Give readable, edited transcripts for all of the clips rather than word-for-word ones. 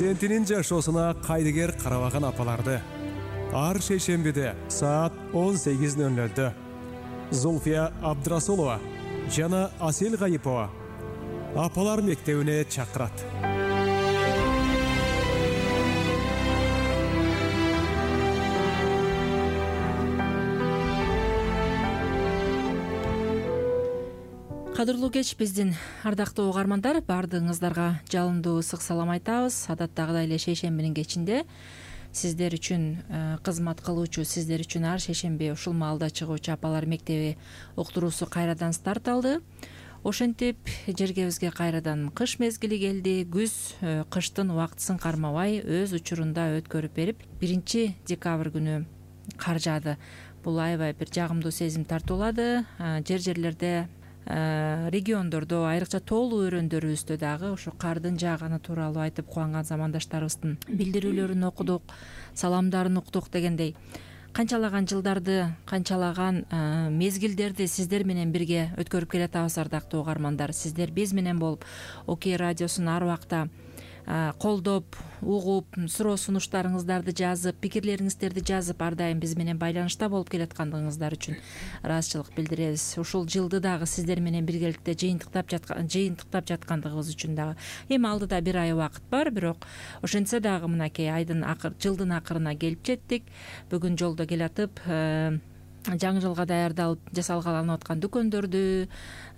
перзентинин жашоосуна кайдыгер карабаган апаларды ар шейшембиде саат 18:00 Зульфия Абдрасулова жана Асел Гайипова апалар мектебине чакырат. Кадырлуу кеч биздин ардактуу угармандар, баардыгыңыздарга жалындуу ысык салам айтабыз. Адаттагыдай эле шейшембинин кечинде сиздер үчүн кызмат кылуучу, сиздер үчүн ар шейшемби ушул маалда чыгуучу апалар мектеби уктуруусу кайрадан старт алды. Ошентип жергебизге кайрадан кыш мезгили келди. Күз кыштын убактысын кармабай өз учурунда өткөрүп берип, 1 декабрь күнү кар жаады. Бул аябай бир жагымдуу сезим тартуулады. Жерлерде региондордо, айрыкча тоолуу өрөөндөрүбүздө дагы ошо кардын жааганы тууралуу айтып кубанган замандаштарыбыздын билдирүүлөрүн окудук, саламдарын уктук дегендей. Канчалаган жылдарды, канчалаган мезгилдерди сиздер менен бирге өткөрүп келатабыз, ардактуу угармандар. Сиздер биз менен болуп, Окей радиосун ар убакта колдоп, угуп, суроо сунуштарыңыздарды жазып, пикирлериңиздерди жазып, ар дайым биз менен байланышта болуп келаткандыгыңыздар үчүн ыраазычылык билдиребиз. Ушул жылды дагы сиздер менен биргеликте жыйынтыктап жаткандыгыбыз үчүн дагы. Эми алдыда 1 ай убакыт бар, бирок ошентсе дагы мынакей жылдын акырына келип жеттик. Бүгүн жолдо келатып жаңы жылга даярдалып жасалгаланып аткан дүкөндөрдү,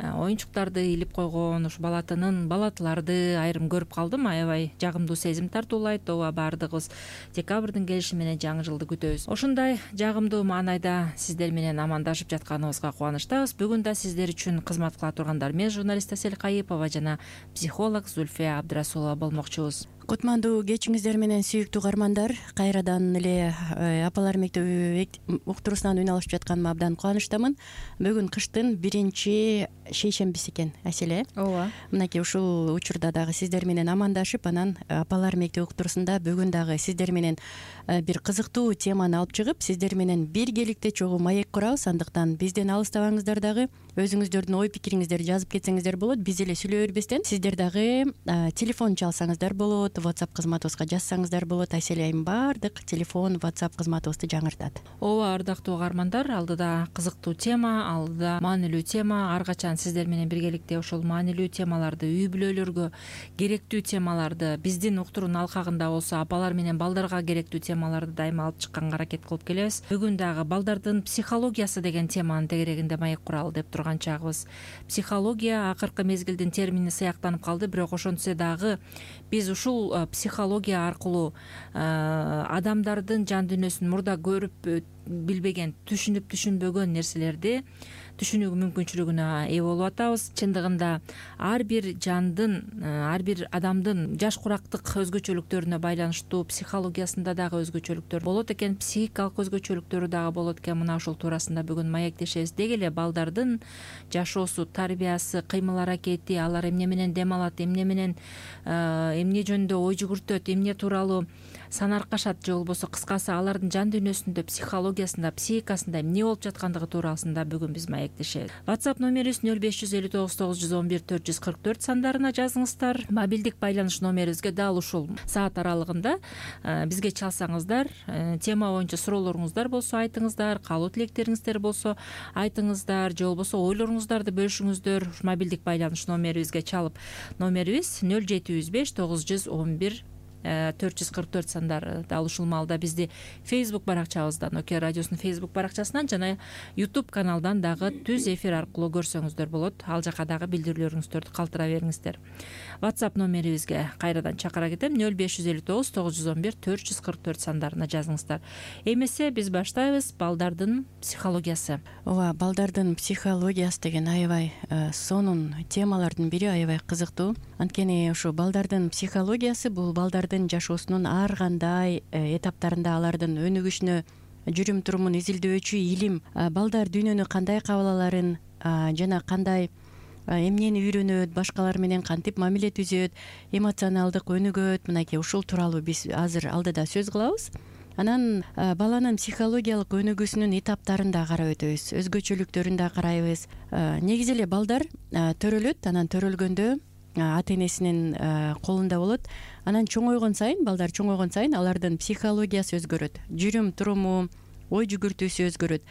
оюнчуктарды илип койгон ушу балатыларды айрым көрүп калдым. Аябай жагымдуу сезим тартуулайт. Ооба, баардыгыбыз декабрдын келиши менен жаңы жылды күтөбүз. Ошондой жагымдуу маанайда сиздер менен амандашып жатканыбызга кубанычтабыз. Бүгүн да сиздер үчүн кызмат кыла тургандар мен журналист Асел Гайипова жана психолог Зульфия Абдрасулова болмокчубуз. Кутмандуу кечиңиздер менен сүйүктүү угармандар, кайрадан эле апалар мектеби уктуруусунан үн алышып жатканыма абдан кубанычтамын. Бүгүн кыштын 1 шейшембиси экен, Аселе. Ооба. Мынакей ушул учурда дагы сиздер менен амандашып, анан апалар мектеби уктуруусунда бүгүн дагы сиздер менен бир кызыктуу теманы алып чыгып, сиздер менен биргеликте чогуу маек курабыз. Андыктан бизден алыстабаңыздар, дагы өзүңүздөрдүн ой пикириңиздерди жазып кетсеңиздер болот. Биз эле сүйлөй бербестен сиздер дагы телефон чалсаңыздар болот, WhatsApp кызматыбызга жазсаңыздар болот. Асель айым баардык телефон, WhatsApp кызматыбызды жаңыртат. Ооба, ардактуу угармандар, алдыда кызыктуу тема, алдыда маанилүү тема. Ар качан сиздер менен биргеликте ошол маанилүү темаларды, үй бүлөлөргө керектүү темаларды, биздин уктуруунун алкагында болсо апалар менен балдарга керектүү темаларды дайыма алып чыкканга аракет кылып келебиз. Бүгүн дагы балдардын психологиясы деген теманын тегерегинде маек куралы деп турган чагыбыз. Психология акыркы мезгилдин термини сыяктанып калды, бирок ошентсе дагы биз ушул психология аркылуу адамдардын жан дүйнөсүн мурда көрүп билбеген, түшүнбөгөн нерселерди түшүнүү мүмкүнчүлүгүнө ээ болуп атабыз. Чындыгында ар бир жандын, ар бир адамдын жаш курактык өзгөчөлүктөрүнө байланыштуу психологиясында дагы өзгөчөлүктөр болот экен, психикалык өзгөчөлүктөрү дагы болот экен. Мына ушул туурасында бүгүн маектешебиз. Деги эле балдардын жашоосу, тарбиясы, кыймыл аракети, алар эмне менен дем алат, эмне менен эмне жөнүндө ой жүгүртөт, эмне тууралуу санаркашат, же болбосо кыскасы алардын жан дүйнөсүндө, психологиясында, психикасында эмне болуп жаткандыгы туурасында бүгүн биз маектешебиз. WhatsApp номерибиз 0559 911 444 сандарына жазыңыздар. Мобилдик байланыш номерибизге дал ушул саат аралыгында бизге чалсаңыздар, тема боюнча суроолоруңуздар болсо айтыңыздар, каалоо тилектериңиздер болсо айтыңыздар, же болбосо ойлоруңуздарды бөлүшүңүздөр. Мобилдик байланыш номерибизге чалып, номерибиз 0705 911 444 сандары. Дал ушул маалда бизди Facebook баракчабыздан, Окей радиосунун Facebook баракчасынан жана YouTube каналдан дагы түз эфир аркылуу көрсөңүздөр болот. Ал жака дагы билдирүүлөрүңүздөрдү калтыра бериңиздер. WhatsApp номерибизге кайрадан чакыра кетем. 0559 911 444 сандарына жазыңыздар. Эмесе биз баштайбыз. Балдардын психологиясы. Ооба, балдардын психологиясы деген аябай сонун темалардын бири, аябай кызыктуу. Анткени ушу балдардын психологиясы бул балдардын жашоосунун ар кандай этаптарында алардын өнүгүшүнө, жүрүм турумун изилдөөчү илим. Балдар дүйнөнү кандай кабыл аларын жана кандай эмнени үйрөнөт, башкалар менен кантип мамиле түзөт, эмоционалдык өнүгөт. Мынакей ушул тууралуу биз азыр алдыда сөз кылабыз. Анан баланын психологиялык өнүгүүсүнүн этаптарын да карап өтөбүз, өзгөчөлүктөрүн да карайбыз. Негизи эле балдар төрөлөт, анан төрөлгөндө ата энесинин колунда болот. Анан чоңойгон сайын, балдар чоңойгон сайын алардын психологиясы өзгөрөт, жүрүм туруму, ой жүгүртүүсү өзгөрөт.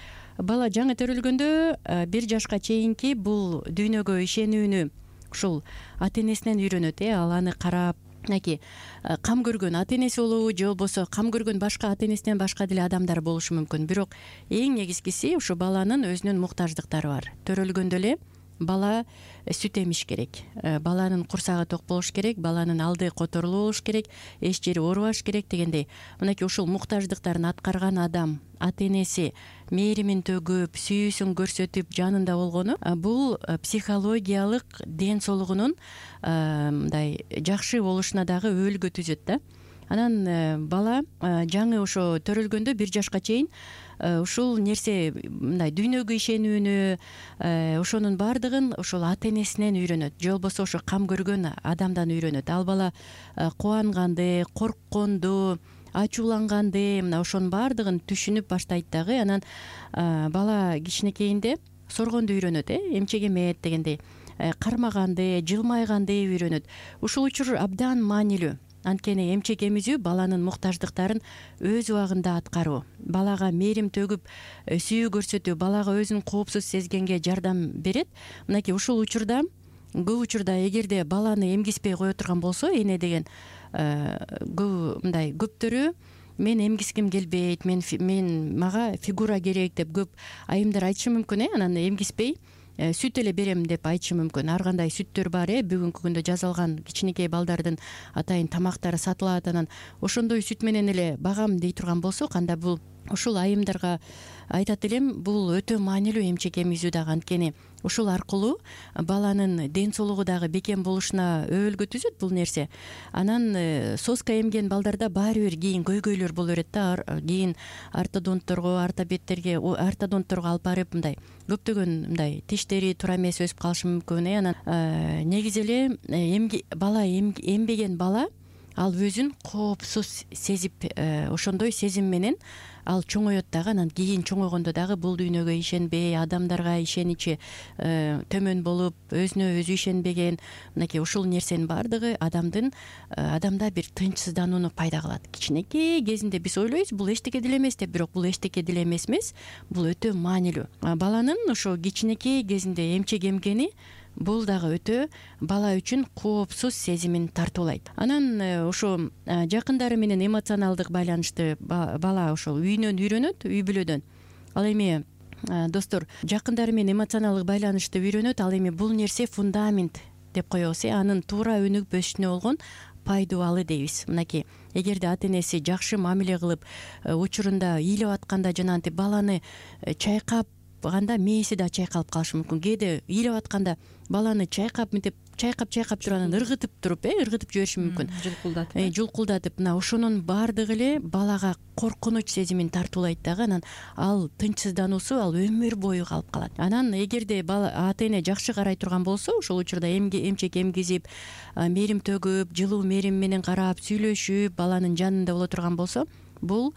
Бала жаңы төрөлгөндө 1 жашка чейинки бул дүйнөгө ишенүүнү ушул ата энесинен үйрөнөт. Ал аны карап, мынакей кам көргөн ата энеси болобу же болбосо кам көргөн башка ата энесинен башка деле адамдар болушу мүмкүн. Бирок эң негизгиси ушу баланын өзүнүн муктаждыктары бар. Төрөлгөндө эле бала сүт эмиш керек, баланын курсагы ток болуш керек, баланын алды которулуу болуш керек, эч жери оорубаш керек дегендей. Мынакей ушул муктаждыктарын аткарган адам, ата энеси мээримин төгүп, сүйүүсүн көрсөтүп, жанында болгону бул психологиялык ден соолугунун мындай жакшы болушуна дагы өөлгө түзөт да. Анан бала жаңы ошо төрөлгөндө 1 жашка чейин ушул нерсе мындай дүйнөгө ишенүүнү, ошонун баардыгын ошол ата энесинен үйрөнөт, же болбосо ошо кам көргөн адамдан үйрөнөт. Ал бала кубанганды, коркконду, ачууланганды, мына ошонун баардыгын түшүнүп баштайт дагы. Анан бала кичинекейинде соргонду үйрөнөт, эмчек эмет дегендей, кармаганды, жылмайганды үйрөнөт. Ушул учур абдан маанилүү. Анткени эмчек эмизүү баланын муктаждыктарын өз убагында аткаруу, балага мээрим төгүп, сүйүү көрсөтүү, балага өзүн коопсуз сезгенге жардам берет. Мынакей ушул учурда, көп учурда эгерде баланы эмгиспей кое турган болсо, эне деген мындай көптөрү мен эмгиским келбейт, мага фигура керек деп көп айымдар айтышы мүмкүн. Анан эмгиспей сүт эле берем деп айтышы мүмкүн. Ар кандай сүттөр бар, бүгүнкү күндө жазалган кичинекей балдардын атайын тамактары сатылат. Анан ошондой сүт менен эле багам дей турган болсок, анда бул ушул айымдарга айтат элем, бул өтө маанилүү эмчек эмизүү дагы. Анткени ушул аркылуу баланын ден соолугу дагы бекем болушуна өөлгө түзөт бул нерсе. Анан соска эмген балдарда баары бир кийин көйгөйлөр боло берет да. Кийин ортодонтторго алып барып мындай көптөгөн мындай тиштери туура эмес өсүп калышы мүмкүн. Анан негизи эле бала эмбеген бала ал өзүн коопсуз сезип, ошондой сезим менен ал чоңоет дагы. Анан кийин чоңойгондо дагы бул дүйнөгө ишенбей, адамдарга ишеничи төмөн болуп, өзүнө өзү ишенбеген, мынакей ушул нерсенин баардыгы адамда бир тынчсызданууну пайда кылат. Кичинекей кезинде биз ойлойбуз, бул эчтеке деле эмес деп, бирок бул эчтеке деле эмес, бул өтө маанилүү. Баланын ошо кичинекей кезинде эмчек эмгени бул дагы өтө бала үчүн коопсуз сезимин тартуулайт. Анан ошо жакындары менен эмоционалдык байланышты бала ошол үйүнөн үйрөнөт, үй бүлөдөн. Ал эми достор, жакындары менен эмоционалдык байланышты үйрөнөт. Ал эми бул нерсе фундамент деп коебуз. Анын туура өнүгүп өсүшүнө болгон пайдубалы дейбиз. Мынакей эгерде ата энеси жакшы мамиле кылып, учурунда ыйлап атканда жанагынтип баланы чайкап мээси да чайкалып калышы мүмкүн. Кээде ыйлап атканда баланы чайкап мынтип чайкап туруп анан ыргытып жибериши мүмкүн. Жулкулдатып, мына ошонун баардыгы эле балага коркунуч сезимин тартуулайт дагы. Анан ал тынчсыздануусу ал өмүр бою калып калат. Анан эгерде ата эне жакшы карай турган болсо, ошол учурда эмчек эмгизип, мээрим төгүп, жылуу мээрим менен карап, сүйлөшүп, баланын жанында боло турган болсо, бул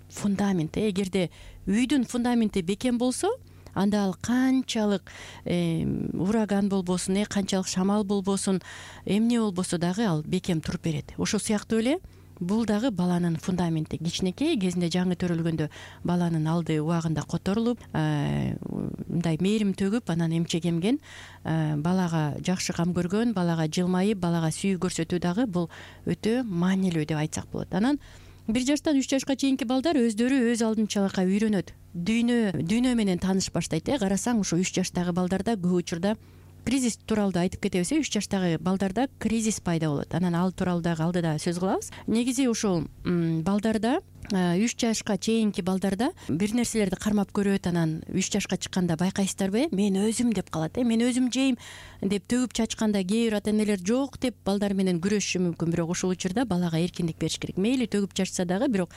фундамент. Эгерде үйдүн фундаменти бекем болсо, анда ал канчалык ураган болбосун, канчалык шамал болбосун, эмне болбосо дагы ал бекем туруп берет. Ошол сыяктуу эле бул дагы баланын фундаменти. Кичинекей кезинде жаңы төрөлгөндө баланын алды убагында которулуп, мындай мээрим төгүп, анан эмчек эмген, балага жакшы кам көргөн, балага жылмайып, балага сүйүү көрсөтүү дагы бул өтө маанилүү деп айтсак болот. Анан 1 жаштан 3 жашка чейинки балдар өздөрү өз алдынчалыкка үйрөнөт. Дүйнө менен тааныш баштайт. Карасаң, ушу 3 жаштагы балдарда көп учурда кризис тууралуу да айтып кетебиз. 3 жаштагы балдарда кризис пайда болот. Анан ал тууралуу дагы алдыда сөз кылабыз. Негизи ушул балдарда, 3 жашка чейинки балдарда бир нерселерди кармап көрөт. Анан 3 жашка чыкканда байкайсыздарбы, мен өзүм деп калат. Мен өзүм жейм деп төгүп чачканда кээ бир ата энелер жок деп балдар менен күрөшүшү мүмкүн. Бирок ушул учурда балага эркиндик бериш керек. Мейли төгүп чачса дагы, бирок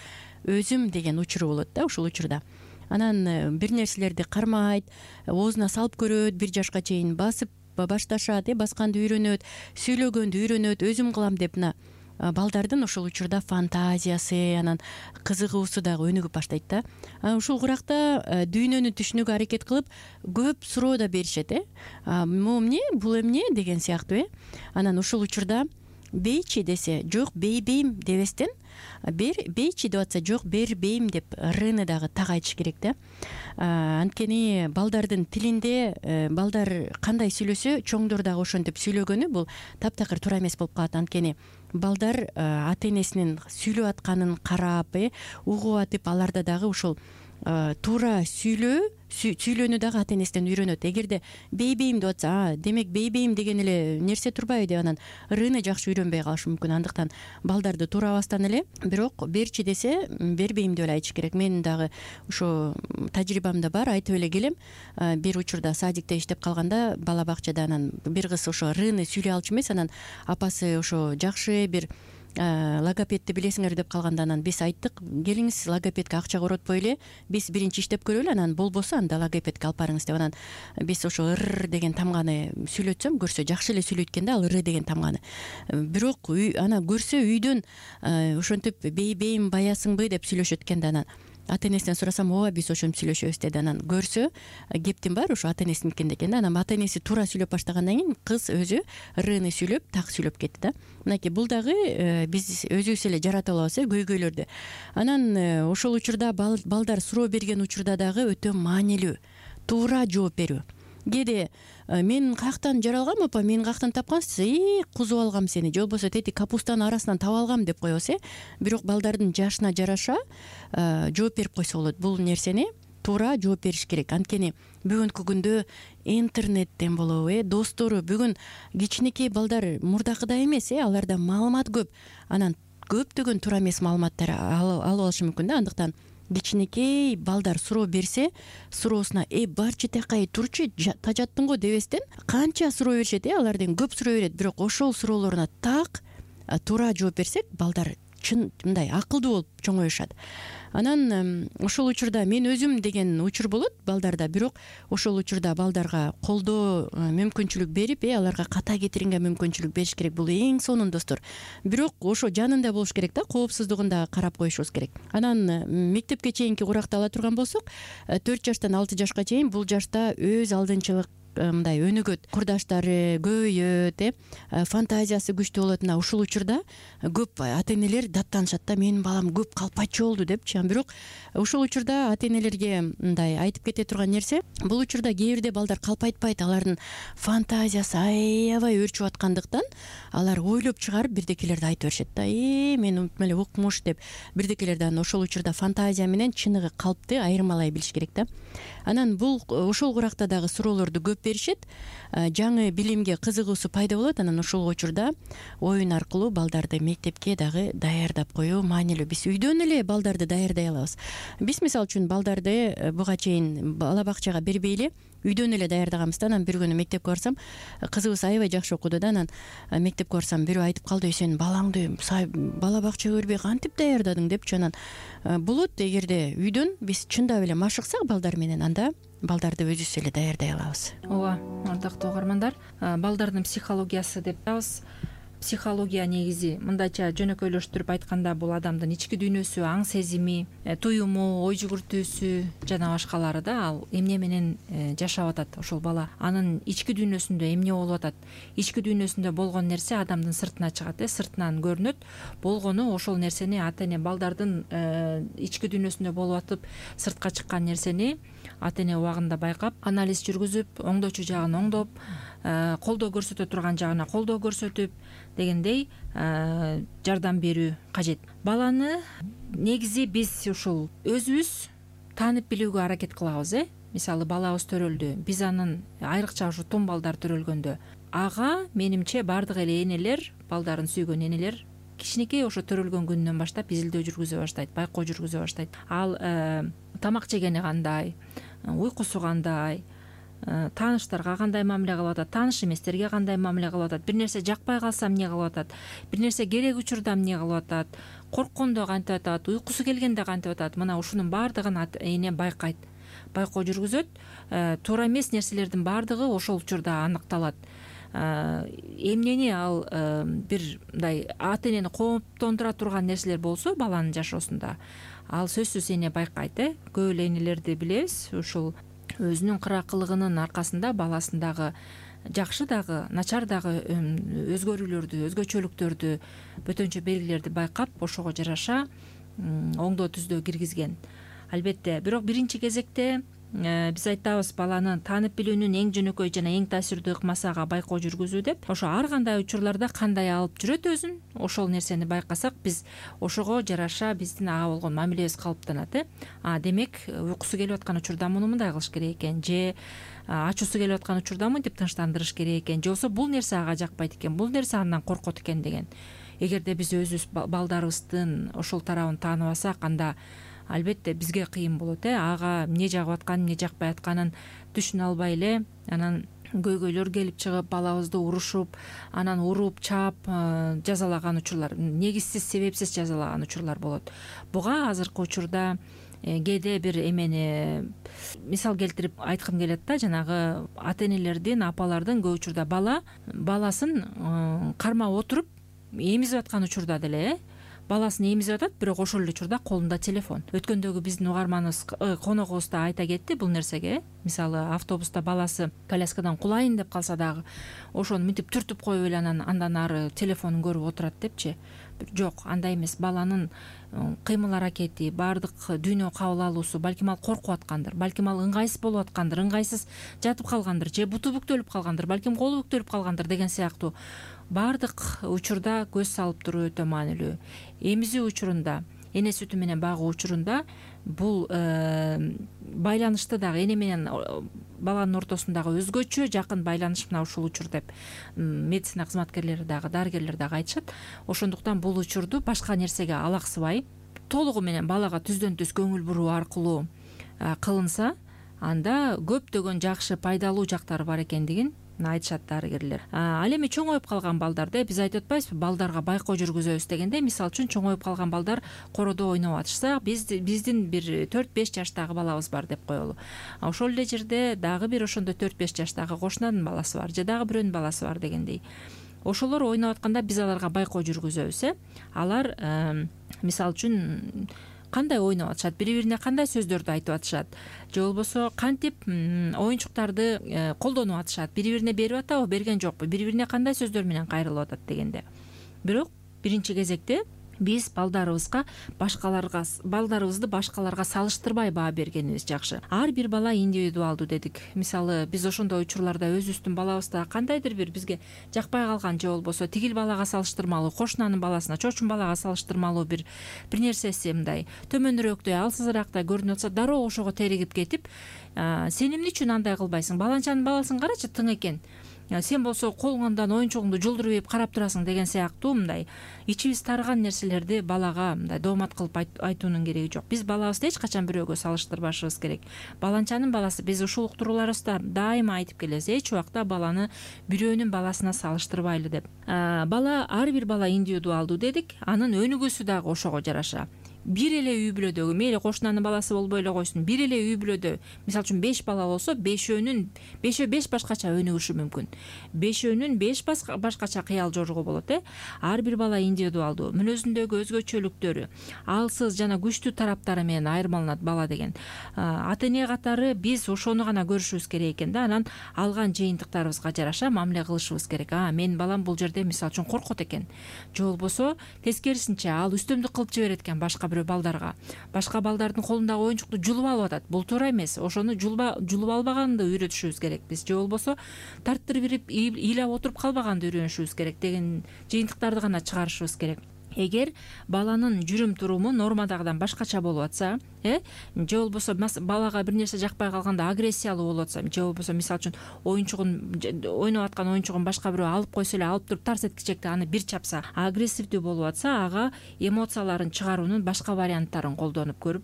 өзүм деген учуру болот да ушул учурда. Анан бир нерселерди кармайт, оозуна салып көрөт, 1 жашка чейин басып башташат, басканды үйрөнөт, сүйлөгөндү үйрөнөт, өзүм кылам деп. балдардын ошол учурда фантазиясы, анан кызыгуусу дагы өнүгүп баштайт да. Ушул куракта дүйнөнү түшүнүүгө аракет кылып көп суроо да беришет, могу эмне, бул эмне деген сыяктуу. Анан ушул учурда бейчи десе жок бейбейм дебестен, бейчи деп атса жок бербейм деп рыны дагы так айтыш керек да. Анткени балдардын тилинде балдар кандай сүйлөсө, чоңдор дагы ошентип сүйлөгөнү бул таптакыр туура эмес болуп калат. Анткени балдар ата энесинин сүйлөп атканын карап, угуп атып, аларда дагы ушул туура сүйлөөнү дагы ата энесинен үйрөнөт. Эгерде бейбейм деп атса, демек бейбейм деген эле нерсе турбайбы деп анан рыны жакшы үйрөнбөй калышы мүмкүн. Андыктан балдарды туурабастан эле бирок берчи десе бербейм деп эле айтыш керек. Менин дагы ошо тажрыйбамда бар, айтып эле келем. Бир учурда садикте иштеп калганда, бала бакчада анан бир кыз ошо рыны сүйлөй алчу эмес, анан апасы ошо жакшы бир логопедти билесиңер деп калганда, анан биз айттык, келиңиз логопедке акча коротпой эле биз биринчи иштеп көрөлү, анан болбосо анда логопедке алып барыңыз деп. Анан биз ошо ыр деген тамганы сүйлөтсөм, көрсө жакшы эле сүйлөйт экен да, ал ыр деген тамганы. Бирок ана көрсө үйдөн ошентип бейбейм баясыңбы деп сүйлөшөт экен да. Анан ата энесинен сурасам, ооба биз ошентип сүйлөшөбүз деди. Анан көрсө кептин баары ошо ата энесиникинде экен да. Анан ата энеси туура сүйлөп баштагандан кийин кыз өзү рыны сүйлөп так сүйлөп кетти да. Мынакей бул дагы биз өзүбүз эле жаратып алабыз көйгөйлөрдү. Анан ошол учурда балдар суроо берген учурда дагы өтө маанилүү туура жооп берүү. Кээде мен каяктан жаралгам апа, мен каяктан тапкансыз, кузуп алгам сени, же болбосо тети капустанын арасынан таап алгам деп коебуз. Бирок балдардын жашына жараша жооп берип койсо болот. Бул нерсени туура жооп бериш керек. Анткени бүгүнкү күндө интернеттен болобу, достору, бүгүн кичинекей балдар мурдакыдай эмес, аларда маалымат көп. Анан көптөгөн туура эмес маалыматтар алып алышы мүмкүн да. Андыктан кичинекей балдар суроо берсе, суроосуна барчы такай турчу, тажаттың го дебестен, канча суроо беришет, алардын көп суроо берет, бирок ошол суроолоруна так туура жооп берсек, балдар чын мындай акылдуу болуп чоңоюшат. Анан ошол учурда мен өзүм деген учур болот балдарда, бирок ошол учурда балдарга колдоо мүмкүнчүлүк берип, аларга ката кетиринге мүмкүнчүлүк бериш керек. Бул эң сонун достор. Бирок ошо жанында болуш керек да, коопсуздугун да карап коюшубуз керек. Анан мектепке чейинки куракты ала турган болсок, 4 жаштан 6 жашка чейин бул жашта өз алдынчылык мындай өнүгөт, курдаштары көбөйөт, фантазиясы күчтүү болот. Мына ушул учурда көп ата энелер даттанышат да, менин балам көп калпачу болду депчи. Бирок ушул учурда ата энелерге мындай айтып кете турган нерсе, бул учурда кээ бирде балдар калпайтпайт, алардын фантазиясы аябай өрчүп аткандыктан алар ойлоп чыгарып бирдекелерди айтып беришет да. Мен умтуп эле укмуш деп бирдекелерди ошол учурда фантазия менен чыныгы калпты айырмалай билиш керек да. Анан бул ошол куракта дагы суроолорду көп беришет, жаңы билимге кызыгуусу пайда болот. Анан ошол учурда оюн аркылуу балдарды мектепке дагы даярдап коюу маанилүү. Биз үйдөн эле балдарды даярдай алабыз. Биз мисалы үчүн балдарды буга чейин бала бакчага бербей эле үйдөн эле даярдаганбыз да. Анан бир күнү мектепке барсам, кызыбыз аябай жакшы окуду да. Анан мектепке барсам, бирөө айтып калды, сен балаңды бала бакчага бербей кантип даярдадың депчи. Анан болот, эгерде үйдөн биз чындап эле машыксак балдар менен, анда балдарды өзүбүз эле даярдай алабыз. Ооба, ардактуу угармандар, балдардын психологиясы деп атабыз. Психология негизи мындайча жөнөкөйлөштүрүп айтканда, бул адамдын ички дүйнөсү, аң сезими, туюму, ой жүгүртүүсү жана башкалары да. Ал эмне менен жашап атат ошол бала, анын ички дүйнөсүндө эмне болуп атат, ички дүйнөсүндө болгон нерсе адамдын сыртына чыгат, сыртынан көрүнөт. Болгону ошол нерсени ата эне балдардын ички дүйнөсүндө болуп атып сыртка чыккан нерсени ата эне убагында байкап, анализ жүргүзүп, оңдоочу жагын оңдоп, колдоо көрсөтө турган жагына колдоо көрсөтүп дегендей жардам берүү кажет. Баланы негизи биз ушул өзүбүз таанып билүүгө аракет кылабыз. Мисалы балабыз төрөлдү, биз анын айрыкча ушу тум балдар төрөлгөндө, ага менимче баардык эле энелер, балдарын сүйгөн энелер кичинекей ошо төрөлгөн күнүнөн баштап изилдөө жүргүзө баштайт, байкоо жүргүзө баштайт. Ал тамак жегени кандай, уйкусу кандай, тааныштарга кандай мамиле кылып атат, тааныш эместерге кандай мамиле кылып атат, бир нерсе жакпай калса эмне кылып атат, бир нерсе керек учурда эмне кылып атат, корккондо кантип атат, уйкусу келгенде кантип атат. Мына ушунун баардыгын эне байкайт, байкоо жүргүзөт. Туура эмес нерселердин баардыгы ошол учурда аныкталат. эмнени ал бир мындай ата энени кооптондура турган нерселер болсо баланын жашоосунда ал сөзсүз эне байкайт. Көп эле энелерди билебиз, ушул өзүнүн кыракылыгынын аркасында баласын дагы жакшы дагы начар дагы өзгөрүүлөрдү, өзгөчөлүктөрдү, бөтөнчө белгилерди байкап ошого жараша оңдоо түздөө киргизген. Албетте, бирок биринчи кезекте биз айтабыз баланы таанып билүүнүн эң жөнөкөй жана эң таасирдүү ыкмасы ага байкоо жүргүзүү деп. Ошо ар кандай учурларда кандай алып жүрөт өзүн, ошол нерсени байкасак биз ошого жараша биздин ага болгон мамилебиз калыптанат. Демек уйкусу келип аткан учурда муну мындай кылыш керек экен, же ачуусу келип аткан учурда мынтип тынчтандырыш керек экен, же болбосо бул нерсе ага жакпайт экен, бул нерсе андан коркот экен деген. Эгерде биз өзүбүз балдарыбыздын ошол тарабын тааныбасак, анда албетте бизге кыйын болот. Ага эмне жагып атканын, эмне жакпай атканын түшүнө албай эле анан көйгөйлөр келип чыгып, балабызды урушуп, анан уруп, чаап жазалаган учурлар, негизсиз, себепсиз жазалаган учурлар болот. Буга азыркы учурда кээде бир эмени мисал келтирип айткым келет да, жанагы ата энелердин, апалардын көп учурда баласын кармап отуруп эмизип аткан учурда деле баласын эмизип атат, бирок ошол эле учурда колунда телефон. Өткөндөгү биздин угарманыбыз, коногубуз да айта кетти бул нерсеге. Мисалы автобуста баласы коляскадан кулайын деп калса дагы ошону мынтип түртүп коюп эле андан ары телефонун көрүп отурат депчи. Жок, андай эмес. Баланын кыймыл аракети, баардык дүйнө кабыл алуусу, балким ал коркуп аткандыр, балким ал ыңгайсыз болуп аткандыр, ыңгайсыз жатып калгандыр, же буту бүктөлүп калгандыр, балким колу бүктөлүп калгандыр деген сыяктуу баардык учурда көз салып туруу өтө маанилүү. Эмизүү учурунда, эне сүтү менен багуу учурунда бул байланышты дагы эне менен баланын ортосундагы өзгөчө жакын байланыш мына ушул учур деп медицина кызматкерлери дагы, дарыгерлер дагы айтышат. Ошондуктан бул учурду башка нерсеге алаксыбай, толугу менен балага түздөн түз көңүл буруу аркылуу кылынса, анда көптөгөн жакшы, пайдалуу жактары бар экендигин айтышат дарыгерлер. Ал эми чоңоюп калган балдарда биз айтып атпайбызбы, балдарга байкоо жүргүзөбүз дегенде, мисалы үчүн чоңоюп калган балдар короодо ойноп атышса, биздин бир 4-5 жаштагы балабыз бар деп коелу. Ошол эле жерде дагы бир ошондой 4-5 жаштагы кошунанын баласы бар, же дагы бирөөнүн баласы бар дегендей. Ошолор ойноп атканда биз аларга байкоо жүргүзөбүз. Алар мисалы үчүн кандай ойноп атышат, бири-бирине кандай сөздөрдү айтып атышат, же болбосо кантип оюнчуктарды колдонуп атышат, бири-бирине берип атабы, берген жокпу, бири-бирине кандай сөздөр менен кайрылып атат дегенде. Бирок биринчи кезекте биз балдарыбызды башкаларга салыштырбай баа бергенибиз жакшы. Ар бир бала индивидуалдуу дедик. Мисалы биз ошондой учурларда өзүбүздүн балабызды кандайдыр бир бизге жакпай калган, же болбосо тигил балага салыштырмалуу, кошунанын баласына, чочун балага салыштырмалуу бир нерсеси мындай төмөнүрөөкдөй, алсызыраактай көрүнүп атса, дароо ошого теригип кетип, сен эмне үчүн андай кылбайсың? Баланчанын баласын карачы, тың экен. Сен болсо колуңдан оюнчугуңду жулдуруп ийип карап турасың деген сыяктуу мындай ичибиз тарыган нерселерди балага мындай доомат кылып айтуунун кереги жок. Биз балабызды эч качан бирөөгө салыштырбашыбыз керек. Баланчанын баласы, биз ушул уктурууларыбызда дайыма айтып келебиз, эч убакта баланы бирөөнүн баласына салыштырбайлы деп. Бала, ар бир бала индивидуалдуу дедик, анын өнүгүүсү дагы ошого жараша. Бир эле үй бүлөдөгү, мейли кошунанын баласы болбой эле койсун, бир эле үй бүлөдө, мисалы үчүн 5 бала болсо, 5 башкача өнүгүшү мүмкүн. 5 башкача кыял жоругу болот. Ар бир бала индивидуалдуу, мүнөзүндөгү өзгөчөлүктөрү, алсыз жана күчтүү тараптары менен айырмаланат бала деген. Ата эне катары биз ошону гана көрүшүбүз керек экен да, анан алган жыйынтыктарыбызга жараша мамиле кылышыбыз керек. Менин балам бул жерде мисалы үчүн коркот экен, же болбосо тескерисинче ал үстөмдүк кылып жиберет экен башка бирөө балдарга. Башка балдардын колундагы оюнчукту жулуп алып атат. Бул туура эмес. Ошону жулуп албаганды үйрөтүшүбүз керек биз, же болбосо тарттырып ирип ыйлап отуруп калбаганды үйрөнүшүбүз керек деген жыйынтыктарды гана чыгарышыбыз керек. Эгер баланын жүрүм туруму нормадагыдан башкача болуп атса, же болбосо балага бир нерсе жакпай калганда агрессиялуу болуп атса, же болбосо мисалы үчүн ойноп аткан оюнчугун башка бирөө алып койсо эле, алып туруп тарс эткичекти аны бир чапса, агрессивдүү болуп атса, ага эмоцияларын чыгаруунун башка варианттарын колдонуп көрүп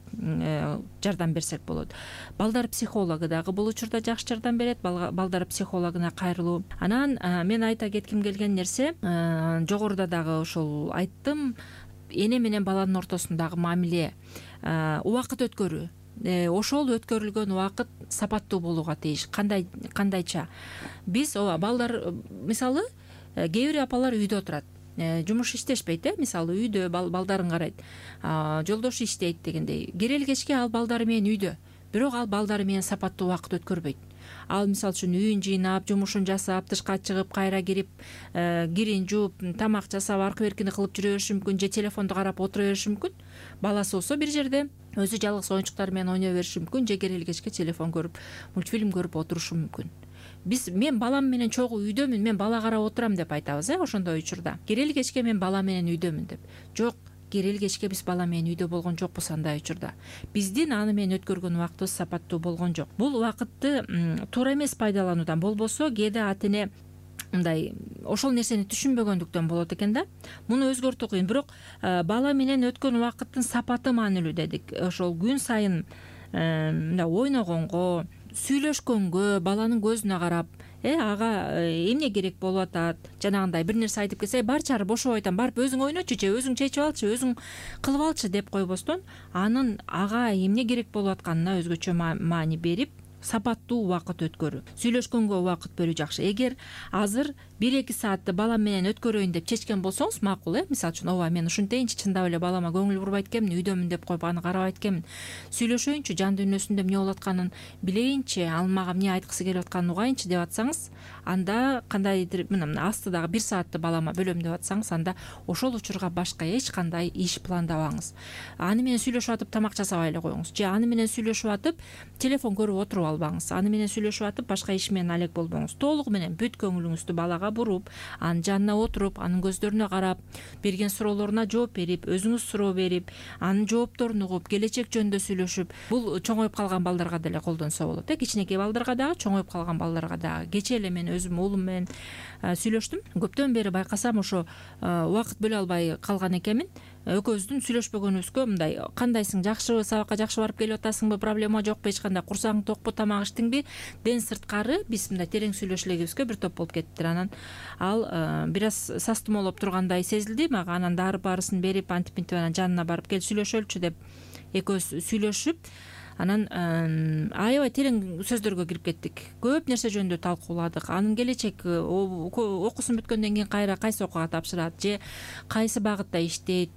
жардам берсек болот. Балдар психологу дагы бул учурда жакшы жардам берет, балдар психологуна кайрылуу. Анан мен айта кетким келген нерсе, жогоруда дагы ошол айттым, эне менен баланын ортосундагы мамиле, убакыт өткөрүү. ошол өткөрүлгөн убакыт сапаттуу болууга тийиш. Кандайча биз ооба балдар мисалы кээ бир апалар үйдө отурат, жумуш иштешпейт, мисалы үйдө балдарын карайт, жолдошу иштейт дегендей. Керели кечке ал балдары менен үйдө, бирок ал балдары менен сапаттуу убакыт өткөрбөйт. Ал мисалы үчүн үйүн жыйнап, жумушун жасап, тышка чыгып, кайра кирип, кирин жууп, тамак жасап, аркы беркини кылып жүрө бериши мүмкүн, же телефонду карап отура бериши мүмкүн. Баласы болсо бир жерде өзү жалгыз оюнчуктар менен ойной бериши мүмкүн, же керели кечке телефон көрүп, мультфильм көрүп отурушу мүмкүн. Мен балам менен чогуу үйдөмүн, мен бала карап отурам деп айтабыз, ошондой учурда. Керели кечке мен бала менен үйдөмүн деп. Жок, керели кечке биз бала менен үйдө болгон жокпуз андай учурда. Биздин аны менен өткөргөн убактыбыз сапаттуу болгон жок. Бул убакытты туура эмес пайдалануудан, болбосо кээде ата эне мындай ошол нерсени түшүнбөгөндүктөн болот экен да. Муну өзгөртүү кыйын, бирок бала менен өткөн убакыттын сапаты маанилүү дедик. Ошол күн сайын мындай ойногонго, сүйлөшкөнгө, баланын көзүнө карап, ага эмне керек болуп атат, жанагындай бир нерсе айтып келсе, бар чары бошобой атам, барып өзүң ойночу, же өзүң чечип алчы, өзүң кылып алчы деп койбостон, анын ага эмне керек болуп атканына өзгөчө маани берип, сапаттуу убакыт өткөрүү, сүйлөшкөнгө убакыт берүү жакшы. Эгер азыр 1-2 саатты балам менен өткөрөйүн деп чечкен болсоңуз макул, мисалы үчүн ооба мен ушинтейинчи, чындап эле балама көңүл бурбайт экенмин, үйдөмүн деп коюп аны карабайт экенмин, сүйлөшөйүнчү, жан дүйнөсүндө эмне болуп атканын билейинчи, ал мага эмне айткысы келип атканын угайынчы деп атсаңыз, анда кандайдыр мына астыдагы 1 саатты балама бөлөм деп атсаңыз, анда ошол учурга башка эч кандай иш пландабаңыз. Аны менен сүйлөшүп атып тамак жасабай эле коюңуз, же аны менен сүйлөшүп атып телефон көрүп отуруп албаңыз, аны менен сүйлөшүп атып башка иш менен алек болбоңуз. Толугу менен бүт көңүлүңүздү балага буруп, анын жанына отуруп, анын көздөрүнө карап, берген суроолоруна жооп берип, өзүңүз суроо берип, анын жоопторун угуп, келечек жөнүндө сүйлөшүп, бул чоңоюп калган балдарга деле колдонсо болот. Кичинекей балдарга дагы, чоңоюп калган балдарга дагы. Кечээ эле мен өзүм уулум менен сүйлөштүм. Көптөн бери байкасам ошо убакыт бөлө албай калган экенмин. Экөөбүздүн сүйлөшпөгөнүбүзгө мындай, кандайсың, жакшыбы, сабакка жакшы барып келип атасыңбы, проблема жокпу, эч кандай, курсагың токпу, тамак иштиңби, ден сырткары биз мындай терең сүйлөшө элегибизге бир топ болуп кеттиптир. Анан ал бир аз састымолоп тургандай сезилди мага. Анан баарысын берип, антип анан жанына барып кел сүйлөшөлүчү деп экөөбүз сүйлөшүп, анан аябай терең сөздөргө кирип кеттик. Көп нерсе жөнүндө талкууладык. Анын келечек окуусун бүткөндөн кийин кайра кайсы окууга тапшырат, же кайсы багытта иштейт,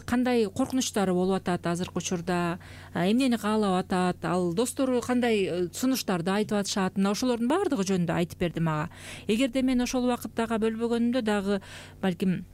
кандай коркунучтары болуп атат азыркы учурда, эмнени каалап атат, ал достору кандай сунуштарды айтып атышат, мына ошолордун баардыгы жөнүндө айтып берди мага. Эгерде мен ошол убакыттагы бөлбөгөнүмдө дагы балким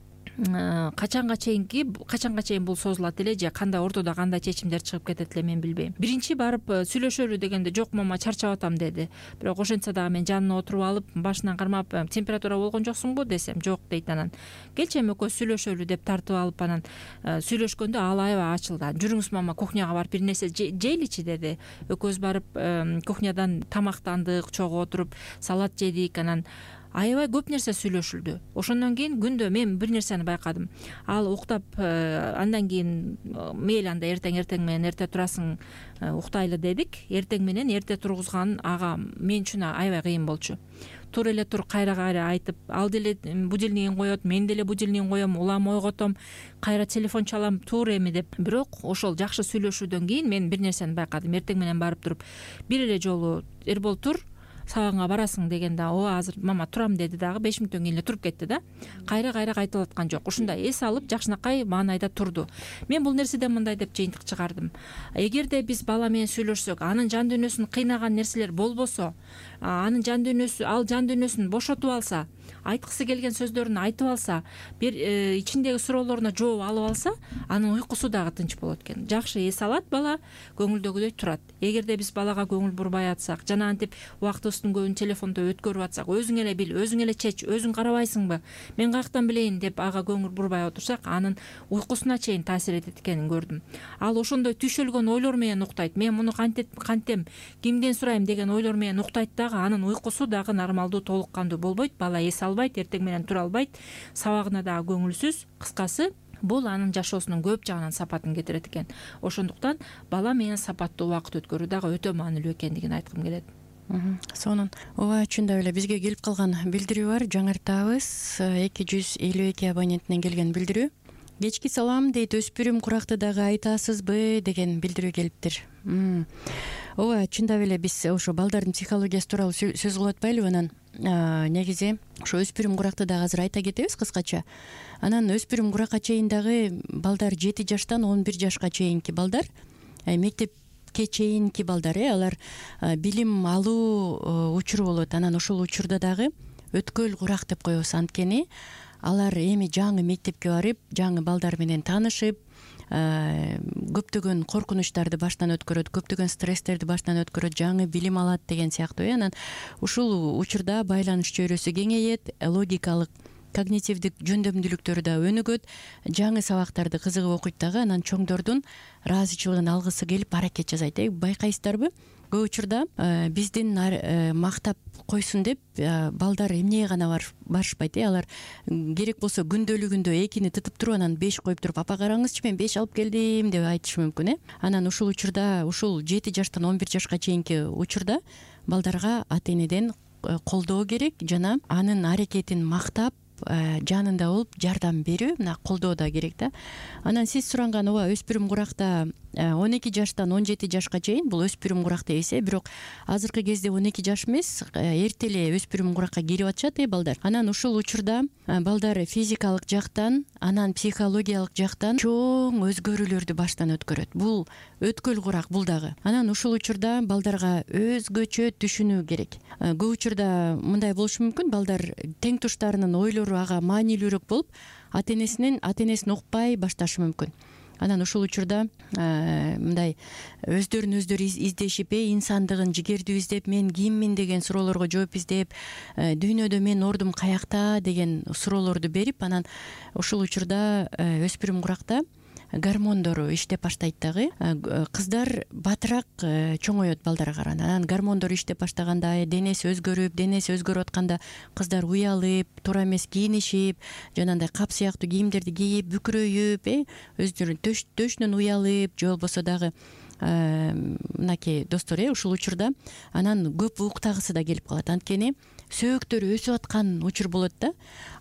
качанга чейин бул созулат эле, же кандай ортодо кандай чечимдер чыгып кетет эле мен билбейм. Биринчи барып сүйлөшөлү дегенде жок мама чарчап атам деди. Бирок ошентсе дагы мен жанына отуруп алып, башынан кармап, температура болгон жоксуңбу десем, жок дейт. Анан келчи эми экөөбүз сүйлөшөлү деп тартып алып, анан сүйлөшкөндө ал аябай ачылды. Жүрүңүз мама кухняга барып бир нерсе жейличи деди. Экөөбүз барып кухнядан тамактандык, чогуу отуруп салат жедик. Анан аябай көп нерсе сүйлөшүлдү. Ошондон кийин күндө мен бир нерсени байкадым. Ал уктап, андан кийин мейли анда эртең менен эрте турасың, уктайлы дедик. Эртең менен эрте тургузган ага мен үчүн аябай кыйын болчу. Тур эле тур, кайра айтып, ал деле будильнигин коет, мен деле будильнигин коем, улам ойготом, кайра телефон чалам, тур эми деп. Бирок ошол жакшы сүйлөшүүдөн кийин мен бир нерсени байкадым. Эртең менен барып туруп, бир эле жолу Эрбол тур, сабагыңа барасың дегенде, ооба азыр мама турам деди дагы 5 мүнөттөн кийин эле туруп кетти да. Кайра кайтып аткан жок. Ушундай эс алып жакшынакай маанайда турду. Мен бул нерседен мындай деп жыйынтык чыгардым. Эгерде биз бала менен сүйлөшсөк, анын жан дүйнөсүн кыйнаган нерселер болбосо, анын жан дүйнөсүн бошотуп алса, айткысы келген сөздөрүн айтып алса, бир ичиндеги суроолоруна жооп алып алса, анын уйкусу дагы тынч болот экен. Жакшы эс алат бала, көңүлдөгүдөй турат. Эгерде биз балага көңүл бурбай атсак, жана антип убактыбыздын көбүн телефондо өткөрүп атсак, өзүң эле бил, өзүң эле чеч, өзүң карабайсыңбы, мен каяктан билейин деп ага көңүл бурбай отурсак, анын уйкусуна чейин таасир этет экенин көрдүм. Ал ошондой түшөлгөн ойлор менен уктайт. Мен муну кантем, кимден сурайм деген ойлор менен уктайт дагы, анын уйкусу дагы нормалдуу, толук кандуу болбойт. Бала эс албайт, эртең менен тура албайт, сабагына дагы көңүлсүз. Кыскасы, бул анын жашоосунун көп жагынан сапатын кетирет экен. Ошондуктан бала менен сапаттуу убакыт өткөрүү дагы өтө маанилүү экендигин айткым келет. Сонун ооба, чындап эле бизге келип калган билдирүү бар, жаңыртабыз. 252 абоненттен келген билдирүү. кечки салам дейт, өспүрүм куракты дагы айтасызбы деген билдирүү келиптир. Ооба, чындап эле биз ошо балдардын психологиясы тууралуу сөз кылып атпайлыбы? Анан негизи ошо өспүрүм куракты дагы азыр айта кетебиз кыскача. Анан өспүрүм куракка чейин дагы балдар 7 жаштан 11 жашка чейинки балдар, мектепке чейинки балдар, алар билим алуу учуру болот. Анан ошол учурда дагы өткөл курак деп коебуз. Анткени алар эми жаңы мектепке барып, жаңы балдар менен таанышып, көптөгөн коркунучтарды баштан өткөрөт, көптөгөн стресстерди баштан өткөрөт, жаңы билим алат деген сыяктуу. Анан ушул учурда байланыш чөйрөсү кеңейет, логикалык, когнитивдик жөндөмдүүлүктөрү да өнүгөт, жаңы сабактарды кызыгып окуйт дагы. Анан чоңдордун ыраазычылыгын алгысы келип аракет жасайт. Байкайсыздарбы? Көп учурда биздин мактап койсун деп балдар эмнеге гана барышпайт. Алар керек болсо күндөлүгүндө 2-ни тытып туруп, анан 5 коюп туруп, апа караңызчы, мен 5 алып келдим деп айтышы мүмкүн. Анан ушул учурда, ушул 7 жаштан 11 жашка чейинки учурда балдарга ата энеден колдоо керек жана анын аракетин мактап, жанында болуп жардам берүү, мына колдоо да керек да. Анан сиз суранган ооба, өспүрүм куракта 12 жаштан 17 жашка чейин бул өспүрүм курак дейбиз. Бирок азыркы кезде 12 жаш эмес, эрте эле өспүрүм куракка кирип атышат балдар. Анан ушул учурда балдар физикалык жактан, анан психологиялык жактан чоң өзгөрүүлөрдү баштан өткөрөт. Бул өткөл курак, бул дагы. Анан ушул учурда балдарга өзгөчө түшүнүү керек. Көп учурда мындай болушу мүмкүн, балдар тең туштарынын ойлору ага маанилүүрөөк болуп, ата энесин укпай башташы мүмкүн. Анан ушул учурда мындай өздөрүн өздөрү издешип, инсандыгын жигердүү издеп, мен киммин деген суроолорго жооп издеп, дүйнөдө менин ордум каякта деген суроолорду берип, анан ушул учурда өспүрүм куракта гормондору иштеп баштайт дагы. Кыздар батыраак чоңоет балдарга караганда. Анан гормондор иштеп баштаганда, денеси өзгөрүп атканда кыздар уялып, туура эмес кийинишип, жанагындай кап сыяктуу кийимдерди кийип, бүкүрөйүп, өздөрүнүн төшүнөн уялып, же болбосо дагы мынакей достор, ушул учурда анан көп уктагысы да келип калат. Анткени сөөктөрү өсүп аткан учур болот да.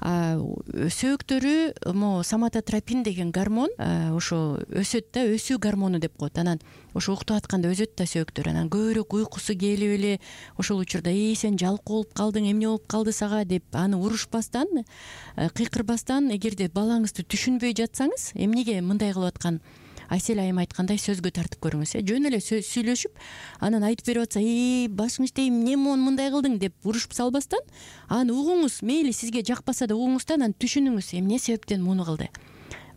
Сөөктөрү соматотропин деген гормон ошо өсөт да, өсүү гормону деп коет. Анан ошо уктап атканда өсөт да сөөктөр. Анан көбүрөөк уйкусу келип эле ошол учурда сен жалкоо болуп калдың, эмне болуп калды сага деп аны урушпастан, кыйкырбастан, эгерде балаңызды түшүнбөй жатсаңыз, эмнеге мындай кылып аткан, Айсел айым айткандай сөзгө тартып көрүңүз. Жөн эле сүйлөшүп, анан айтып берип атса, башың иштейм, эмне мындай кылдың деп урушуп салбастан, аны угуңуз, мейли сизге жакпаса да угуңуз да, анан түшүнүңүз, эмне себептен муну кылды.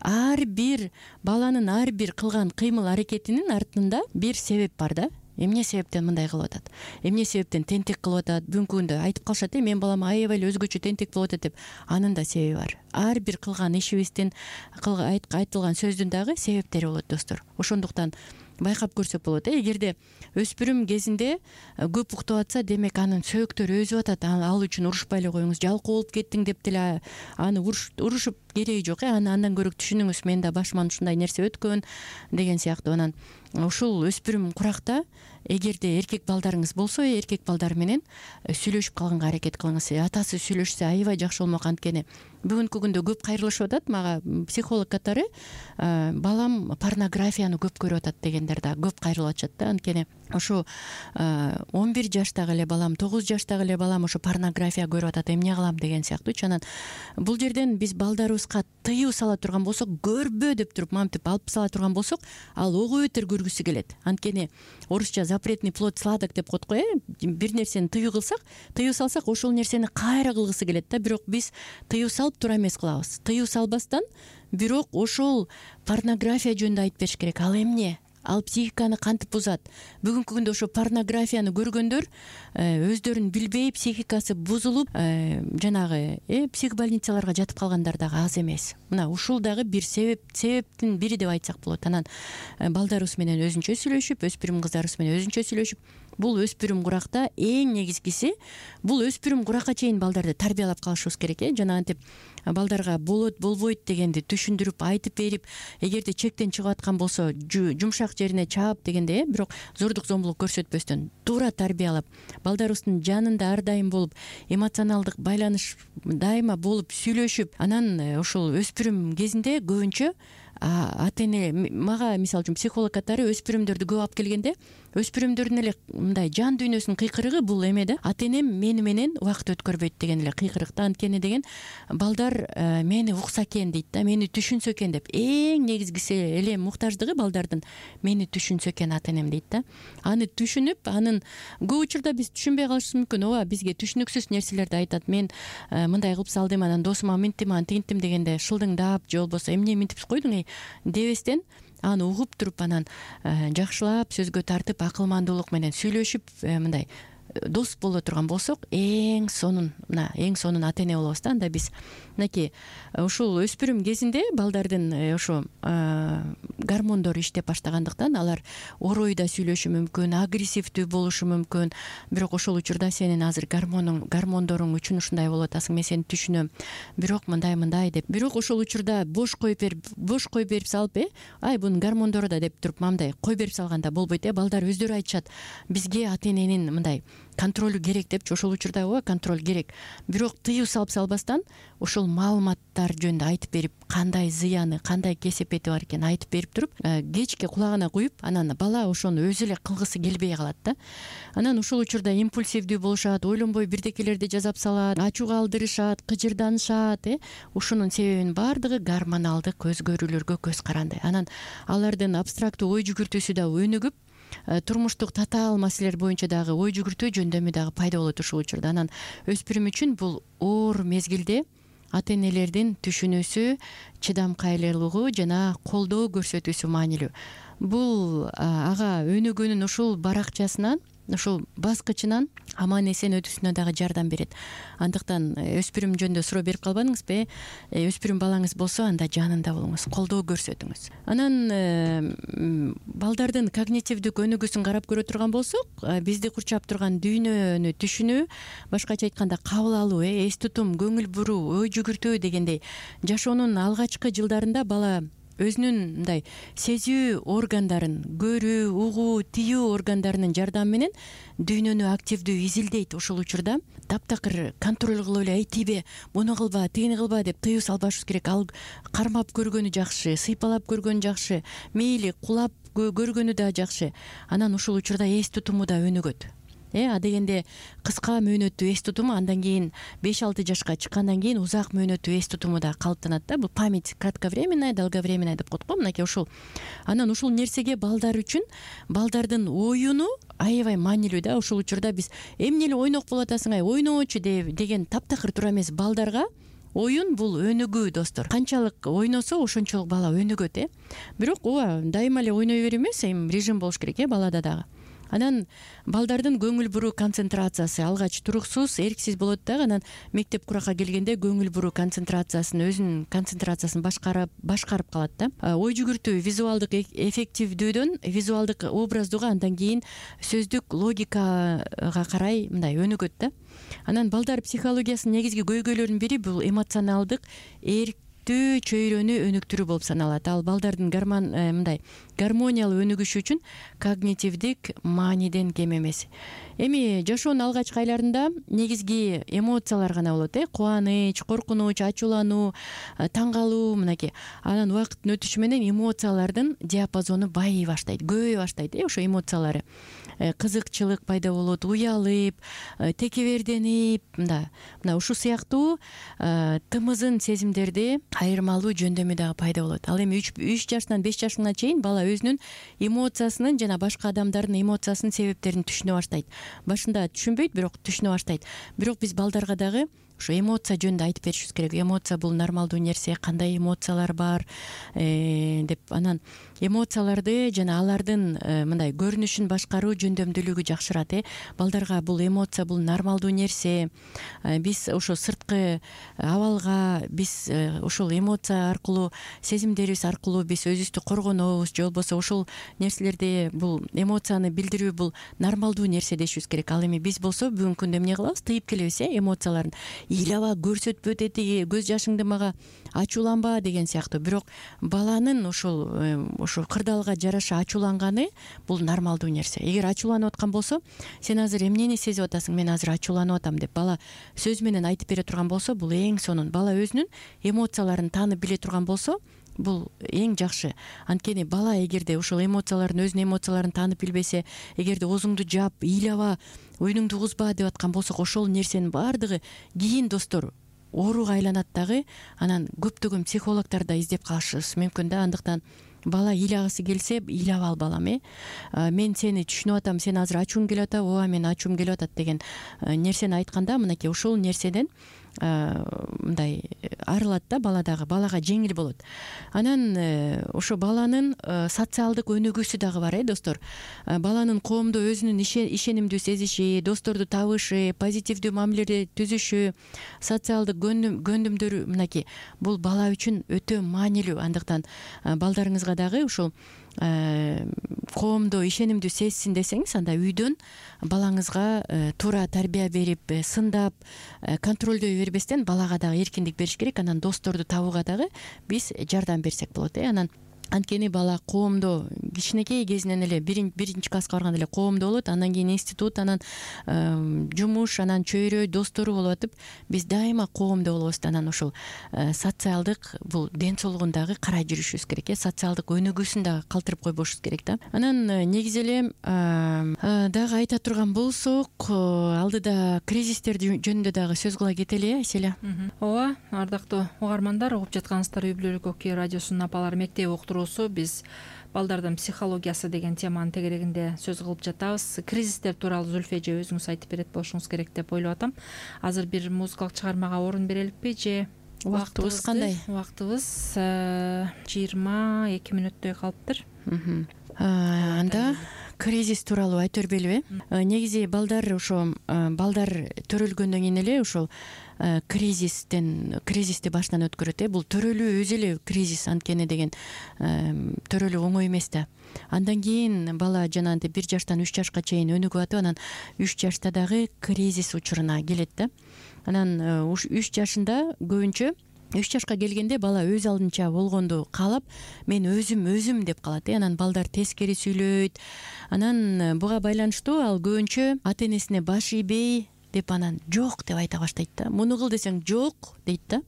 Ар бир баланын ар бир кылган кыймыл аракетинин артында бир себеп бар да. Эмне себептен мындай кылып атат, эмне себептен тентек кылып атат. Бүгүнкү күндө айтып калышат, мен балам аябай эле өзгөчө тентек болуп атат деп. Анын да себеби бар. Ар бир кылган ишибиздин, айтылган сөздүн дагы себептери болот достор. Ошондуктан байкап көрсөк болот. Эгерде өспүрүм кезинде көп уктап атса, демек анын сөөктөрү өсүп атат. Ал үчүн урушпай эле коюңуз. Жалкоо болуп кеттиң деп деле аны урушуп кереги жок. Андан көрөк түшүнүңүз, мен да башыман ушундай нерсе өткөн деген сыяктуу. Анан ушул өспүрүм куракта эгерде эркек балдарыңыз болсо, эркек балдар менен сүйлөшүп калганга аракет кылыңыз. Атасы сүйлөшсө аябай жакшы болмок. Анткени бүгүнкү күндө көп кайрылышып атат. Мага психолог катары балам порнографияны көп көрүп атат дегендер да көп кайрылып атышат да. Анткени ошо 11 жаштагы эле балам, 9 жаштагы эле балам ошо порнография көрүп атат, эмне кылам деген сыяктуучу. Анан бул жерден биз балдарыбызга тыюу сала турган болсок, көрбө деп туруп мамтип алып сала турган болсок, ал ого бетер көргүсү келет. Анткени орусча запретный плод сладок деп коет го. Бир нерсени тыюу салсак, ошол нерсени кайра кылгысы келет да. Бирок биз тыюу салып туура эмес кылабыз. Тыюу салбастан, бирок ошол порнография жөнүндө айтып бериш керек. Ал эмне? Ал психиканы кантип бузат? Бүгүнкү күндө ошо порнографияны көргөндөр өздөрүн билбей психикасы бузулуп, жанагы психбольницаларга жатып калгандар дагы аз эмес. Мына ушул дагы бир себептин бири деп айтсак болот. Анан балдарыбыз менен өзүнчө сүйлөшүп, өспүрүм кыздарыбыз менен өзүнчө сүйлөшүп, бул өспүрүм куракта эң негизгиси бул өспүрүм куракка чейин балдарды тарбиялап калышыбыз керек. Жана антип балдарга болот болбойт дегенди түшүндүрүп айтып берип, эгерде чектен чыгып аткан болсо жумшак жерине чаап дегенде, бирок зордук зомбулук көрсөтпөстөн туура тарбиялап, балдарыбыздын жанында ар дайым болуп, эмоционалдык байланыш дайыма болуп сүйлөшүп, анан ушул өспүрүм кезинде көбүнчө ата эне, мага мисалы үчүн психолог катары өспүрүмдөрдү көп алып келгенде, өспүрүмдөрдүн эле мындай жан дүйнөсүнүн кыйкырыгы бул эме да, ата энем мени менен убакыт өткөрбөйт деген эле кыйкырык да. Анткени деген балдар мени укса экен дейт да, мени түшүнсө экен деп. Эң негизгиси эле муктаждыгы балдардын мени түшүнсө экен ата энем дейт да. Аны түшүнүп, анын көп учурда биз түшүнбөй калышыбыз мүмкүн. Ооба, бизге түшүнүксүз нерселерди айтат. Мен мындай кылып салдым, анан досума минттим, антинттим дегенде шылдыңдап же болбосо эмне минтип койдуң дебестен, аны угуп туруп, анан жакшылап сөзгө тартып, акылмандуулук менен сүйлөшүп, мындай дос боло турган болсок, эң сонун ата эне болобуз да. Анда биз мынакей ушул өспүрүм кезинде балдардын ошо гормондору иштеп баштагандыктан алар оройда сүйлөшүшү мүмкүн, агрессивдүү болушу мүмкүн. Бирок ошол учурда сенин азыр гормондоруң үчүн ушундай болуп атасың, мен сени түшүнөм, бирок мындай деп. Бирок ошол учурда бош коюп берип салып, ай бунун гормондору да деп туруп мындай коюп берип салганда болбойт. Балдар өздөрү айтышат, бизге ата эненин мындай контролу керек депчи. Ошол учурда ооба контроль керек, бирок тыюу салып салбастан ошол маалыматтар жөнүндө айтып берип, кандай зыяны, кандай кесепети бар экенин айтып берип туруп, кечке кулагына куюп, анан бала ошону өзү эле кылгысы келбей калат да. Анан ошол учурда импульсивдүү болушат, ойлонбой бирдекелерди жасап салат, ачууга алдырышат, кыжырданышат. Ушунун себебинин баардыгы гормоналдык өзгөрүүлөргө көз каранды. Анан алардын абстрактуу ой жүгүртүүсү да өнүгүп, турмуштук татаал маселелер боюнча дагы ой жүгүртүү жөндөмү дагы пайда болот ушул учурда. Анан өспүрүм үчүн бул оор мезгилде ата энелердин түшүнүүсү, чыдамкайлуулугу жана колдоо көрсөтүүсү маанилүү. Бул ага өнүгүүнүн ушул баракчасынан, ушул баскычынан аман эсен өтүүсүнө дагы жардам берет. Андыктан өспүрүм жөнүндө суроо берип калбадыңызбы? Өспүрүм балаңыз болсо, анда жанында болуңуз, колдоо көрсөтүңүз. Анан балдардын когнитивдик өнүгүүсүн карап көрө турган болсок, бизди курчап турган дүйнөнү түшүнүү, башкача айтканда кабыл алуу, эс тутум, көңүл буруу, ой жүгүртүү дегендей жашоонун алгачкы жылдарында бала өзүнүн мындай сезүү органдарын, көрүү, угуу, тыюу органдарынын жардамы менен дүйнөнү активдүү изилдейт. Ошол учурда таптакыр контроль кылып эле, тиби буну кылба, тигини кылба деп тыюу салбашыбыз керек. Ал кармап көргөнү жакшы, сыйпалап көргөнү жакшы, мейли кулап көргөнү да жакшы. Анан ушул учурда эс тутуму да өнүгөт. Адегенде кыска мөөнөттүү эс тутуму андан кийин 5-6 жашка чыккандан кийин узак мөөнөттүү эс тутуму да калыптанат да. Бул память кратковременная, долговременная деп коет го. Мынакей ушул. Анан ушул нерсеге балдар үчүн балдардын оюну аябай маанилүү да. Ушул учурда биз эмне эле ойнок болуп атасың, ойночу деген таптакыр туура эмес. Балдарга оюн бул өнүгүү, достор. Канчалык ойносо ошончолук бала өнүгөт. Бирок ооба, дайыма эле ойной берүү эмес, режим болуш керек балада дагы. Анан балдардын көңүл буруу концентрациясы алгач туруксуз, эрксиз болот дагы. Анан мектеп куракка келгенде көңүл буруу өзүнүн концентрациясын башкарып калат да. Ой жүгүртүү визуалдык эффективдүүдөн визуалдык образдууга, андан кийин сөздүк логикага карай мындай өнүгөт да. Анан балдар психологиясынын негизги көйгөйлөрүнүн бири бул эмоционалдык чөйрөнү өнүктүрүү болуп саналат. Ал балдардын гармониялуу өнүгүшү үчүн когнитивдик мааниден кем эмес. Эми жашоонун алгачкы айларында негизги эмоциялар гана болот. Кубаныч, коркунуч, ачуулануу, таң калуу, мынакей. Анан убакыттын өтүшү менен эмоциялардын диапазону байый баштайт, көбөйө баштайт. Ошо эмоциялары кызыкчылык пайда болот, уялып, текеберденип, мына ушул сыяктуу тымызын сезимдерди айырмалуу жөндөмү дагы пайда болот. Ал эми 3 жаштан 5 жашына чейин бала өзүнүн эмоциясынын жана башка адамдардын эмоциясынын себептерин түшүнө баштайт. Башында түшүнбөйт, бирок түшүнө баштайт. Бирок биз балдарга дагы ошо эмоция жөнүндө айтып беришибиз керек. Эмоция бул нормалдуу нерсе, кандай эмоциялар бар деп. Анан эмоцияларды жана алардын мындай көрүнүшүн башкаруу жөндөмдүүлүгү жакшырат. Балдарга бул эмоция бул нормалдуу нерсе. Биз ошо сырткы абалга биз ушул эмоция аркылуу, сезимдерибиз аркылуу биз өзүбүздү коргонобуз, же болбосо ушул нерселерди, бул эмоцияны билдирүү бул нормалдуу нерсе дешибиз керек. Ал эми биз болсо бүгүнкү күндө эмне кылабыз? Тыйып келебиз эмоцияларын. Ыйлаба, көрсөтпө деди, көз жашыңды мага ачууланба деген сыяктуу. Бирок баланын ушул кырдаалга жараша ачууланганы бул нормалдуу нерсе. Эгер ачууланып аткан болсо, сен азыр эмнени сезип атасың? Мен азыр ачууланып атам деп бала сөз менен айтып бере турган болсо, бул эң сонун. Бала өзүнүн эмоцияларын таанып биле турган болсо, бул эң жакшы. Анткени бала эгерде ушул эмоцияларын, өзүнүн эмоцияларын таанып билбесе, эгерде оозуңду жаап, ыйлаба, оюнуңду угузба деп аткан болсок, ошол нерсенин баардыгы кийин достор ооруга айланат дагы. Анан көптөгөн психологдор да издеп калышыбыз мүмкүн да. Андыктан бала ыйлагысы келсе, ыйлап ал балам. Мен сени түшүнүп атам, сен азыр ачууң келип атат, ооба мен ачуум келип атат деген нерсени айтканда, мынакей ушул нерседен мындай арылат да балага жеңил болот. Анан ошо баланын социалдык өнүгүүсү дагы бар, достор. Баланын коомдо өзүнүн ишенимдүү сезиши, досторду табышы, позитивдүү мамиле түзүшү, социалдык көндүмдөр, мынакей бул бала үчүн өтө маанилүү. Андыктан балдарыңызга дагы ушул коомдо ишенимдүү сезсин десеңиз, анда үйдөн балаңызга туура тарбия берип, сындап, контролдой бербестен балага дагы эркиндик бериш керек. Анан досторду табууга дагы биз жардам берсек болот. Анткени бала коомдо кичинекей кезинен эле биринчи класска барганда эле коомдо болот, андан кийин институт, анан жумуш, анан чөйрө, достору болуп атып, биз дайыма коомдо болобуз. Анан ушул социалдык бул ден соолугун дагы карай жүрүшүбүз керек. Социалдык өнүгүүсүн дагы калтырып койбошубуз керек да. Анан негизи эле дагы айта турган болсок, алдыда кризистер жөнүндө дагы сөз кыла кетели, Аселя. Ооба, ардактуу угармандар, угуп жаткансыздар Үй бүлөлүк Ок радиосунун апалар мектеби биз балдардын психологиясы деген теманын тегерегинде сөз кылып жатабыз. Кризистер тууралуу Зүлфе эже өзүңүз айтып берет болушуңуз керек деп ойлоп атам. Азыр бир музыкалык чыгармага орун береликпи же убактыбыз кандай? Убактыбыз 22 мүнөттөй калыптыр. Анда кризис тууралуу айта бербелиби? Негизи балдар балдар төрөлгөндөн кийин эле ушул кризисти баштан өткөрөт. Бул төрөлүү өзү эле кризис, анткени деген төрөлүү оңой эмес да. Андан кийин бала жанагынтип 1 жаштан 3 жашка чейин өнүгүп атып, анан 3 жашта дагы кризис учуруна келет да. Анан 3 жашында көбүнчө 3 жашка келгенде бала өз алдынча болгонду каалап, мен өзүм деп калат. Анан балдар тескери сүйлөйт. Анан буга байланыштуу ал көбүнчө ата-энесине баш ийбей деп, анан жок деп айта баштайт да. Муну кыл десең жок дейт да.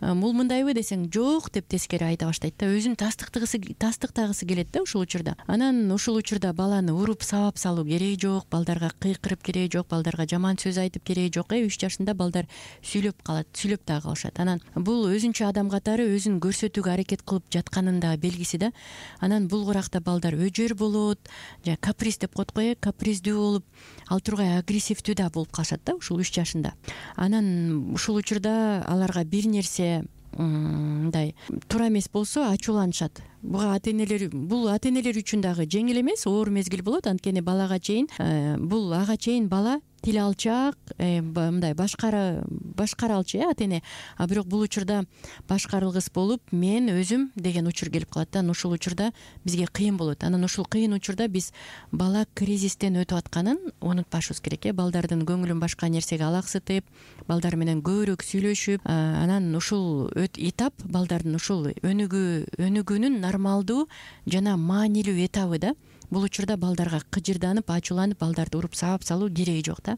Бул мындайбы десең жок деп тескери айта баштайт да. Өзүн тастыктагысы келет да ушул учурда. Анан ушул учурда баланы уруп сабап салуу кереги жок, балдарга кыйкырып кереги жок, балдарга жаман сөз айтып кереги жок. 3 жашында балдар сүйлөп дагы калышат. Анан бул өзүнчө адам катары өзүн көрсөтүүгө аракет кылып жатканын да белгиси да. Анан бул куракта балдар өжөр болот, же каприз деп коет го, каприздүү болуп, ал тургай агрессивдүү да болуп калышат да ушул 3 жашында. Анан ушул учурда аларга бир нерсе мындай туура эмес болсо ачууланышат. Бул ата-энелер үчүн дагы жеңил эмес, оор мезгил болот. Анткени балага чейин ага чейин бала тил алчак, мындай башкара алчу ата-эне. А бирок бул учурда башкарылгыс болуп, мен өзүм деген учур келип калат. Анан ушул учурда бизге кыйын болот. Анан ушул кыйын учурда биз бала кризистен өтүп атканын унутпашыбыз керек. Балдардын көңүлүн башка нерсеге алаксытып, балдар менен көбүрөөк сүйлөшүп, анан ушул этап балдардын ушул өнүгүүнүн нормалдуу жана маанилүү этабы да. Бул учурда балдарга кыжырданып, ачууланып, балдарды уруп сабап салуу кереги жок да.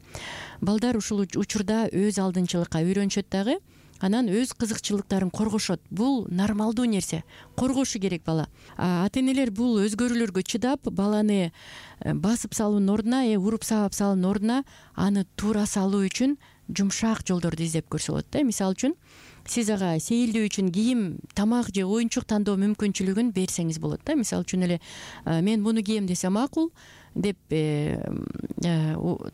Балдар ушул учурда өз алдынчылыкка үйрөнүшөт дагы, анан өз кызыкчылыктарын коргошот. Бул нормалдуу нерсе. Коргошу керек бала. Ата-энелер бул өзгөрүүлөргө чыдап, баланы басып салуунун ордуна, уруп сабап салуунун ордуна аны туура салуу үчүн жумшак жолдорду издеп көрсө болот да. Мисалы үчүн, сиз ага сейилдөө үчүн кийим, тамак же оюнчук тандоо мүмкүнчүлүгүн берсеңиз болот да. Мисалы үчүн эле мен муну кийем десе макул, деп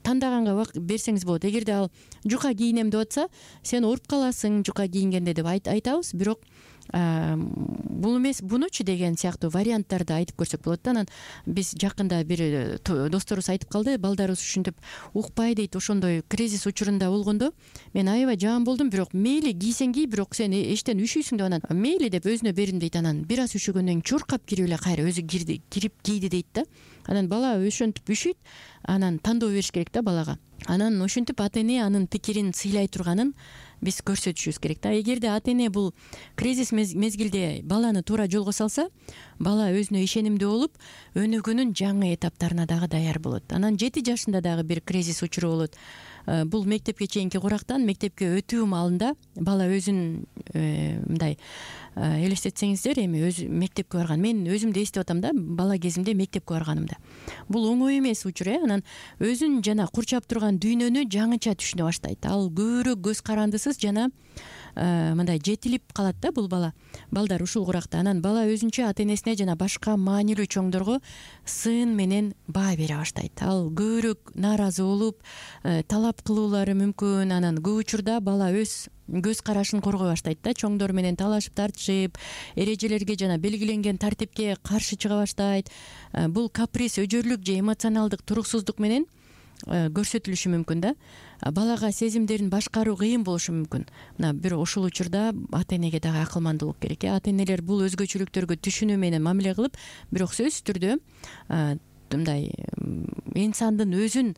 тандаганга берсеңиз болот. Эгерде ал жука кийинем деп атса, сен ооруп каласың жука кийингенде деп айтабыз. Бирок бул эмес, бунучу деген сыяктуу варианттарды айтып көрсөк болот да. Анан биз жакында бир досторубуз айтып калды, балдарыбыз ушинтип укпай дейт. Ошондой кризис учурунда болгондо мен аябай жаман болдум, бирок мейли кийсең кий, бирок сен эчтен үшүйсүң деп, анан мейли деп өзүнө бердим дейт. Анан бир аз үшөгөндөн кийин чуркап кирип эле кайра өзү кирип кийди дейт да. Анан бала ошентип үшүйт, анан тандоо бериш керек да балага. Анан ошентип ата эне анын пикирин сыйлай турганын биз көрсөтүшүбүз керек да. Эгерде ата эне бул кризис мезгилде баланы туура жолго салса, бала өзүнө ишенимдүү болуп, өнүгүүнүн жаңы этаптарына дагы даяр болот. Анан 7 жашында дагы бир кризис учуру болот. Бул мектепке чейинки курактан мектепке өтүү маалында бала өзүн мындай элестетсеңиздер, эми өзү мектепке барган. Мен өзүмдү эстеп атам да, бала кезимде мектепке барганымда. Бул оңой эмес учур, Анан өзүн жана курчап турган дүйнөнү жаңыча түшүнө баштайт. Ал көбүрөөк көз карандысыз жана мындай жетилип калат да бул балдар ушул куракта. Анан бала өзүнчө ата энесине жана башка маанилүү чоңдорго сын менен баа бере баштайт. Ал көбүрөөк нааразы болуп, талап кылуулары мүмкүн. Анан көп учурда бала өз көз карашын коргой баштайт да, чоңдор менен талашып тартышып, эрежелерге жана белгиленген тартипке каршы чыга баштайт. Бул каприз, өжөрлүк же эмоционалдык туруксуздук менен көрсөтүлүшү мүмкүн да. Балага сезимдерин башкаруу кыйын болушу мүмкүн. Мына бир ошол учурда ата энеге дагы акылмандуулук керек. Ата энелер бул өзгөчөлүктөргө түшүнүү менен мамиле кылып, бирок сөзсүз түрдө мындай инсандын өзүн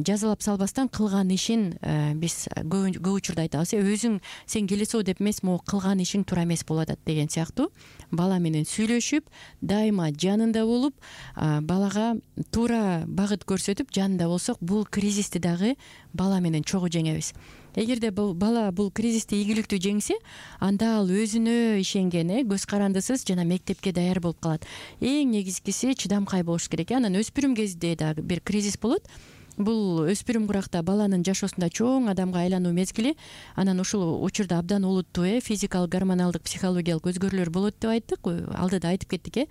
жазалап салбастан кылган ишин биз көп учурда айтабыз. Өзүң сен келесоо деп эмес, могу кылган ишиң туура эмес болуп атат деген сыяктуу. Бала менен сүйлөшүп, дайыма жанында болуп, балага туура багыт көрсөтүп жанында болсок, бул кризисти дагы бала менен чогуу жеңебиз. Эгерде бала бул кризисти ийгиликтүү жеңсе, анда ал өзүнө ишенген, көз карандысыз жана мектепке даяр болуп калат. Эң негизгиси чыдамкай болуш керек. Анан өспүрүм кезде дагы бир кризис болот. Бул өспүрүм куракта баланын жашоосунда чоң адамга айлануу мезгили. Анан ушул учурда абдан олуттуу физикалык, гормоналдык, психологиялык өзгөрүүлөр болот деп айттык. Алдыда айтып кеттик.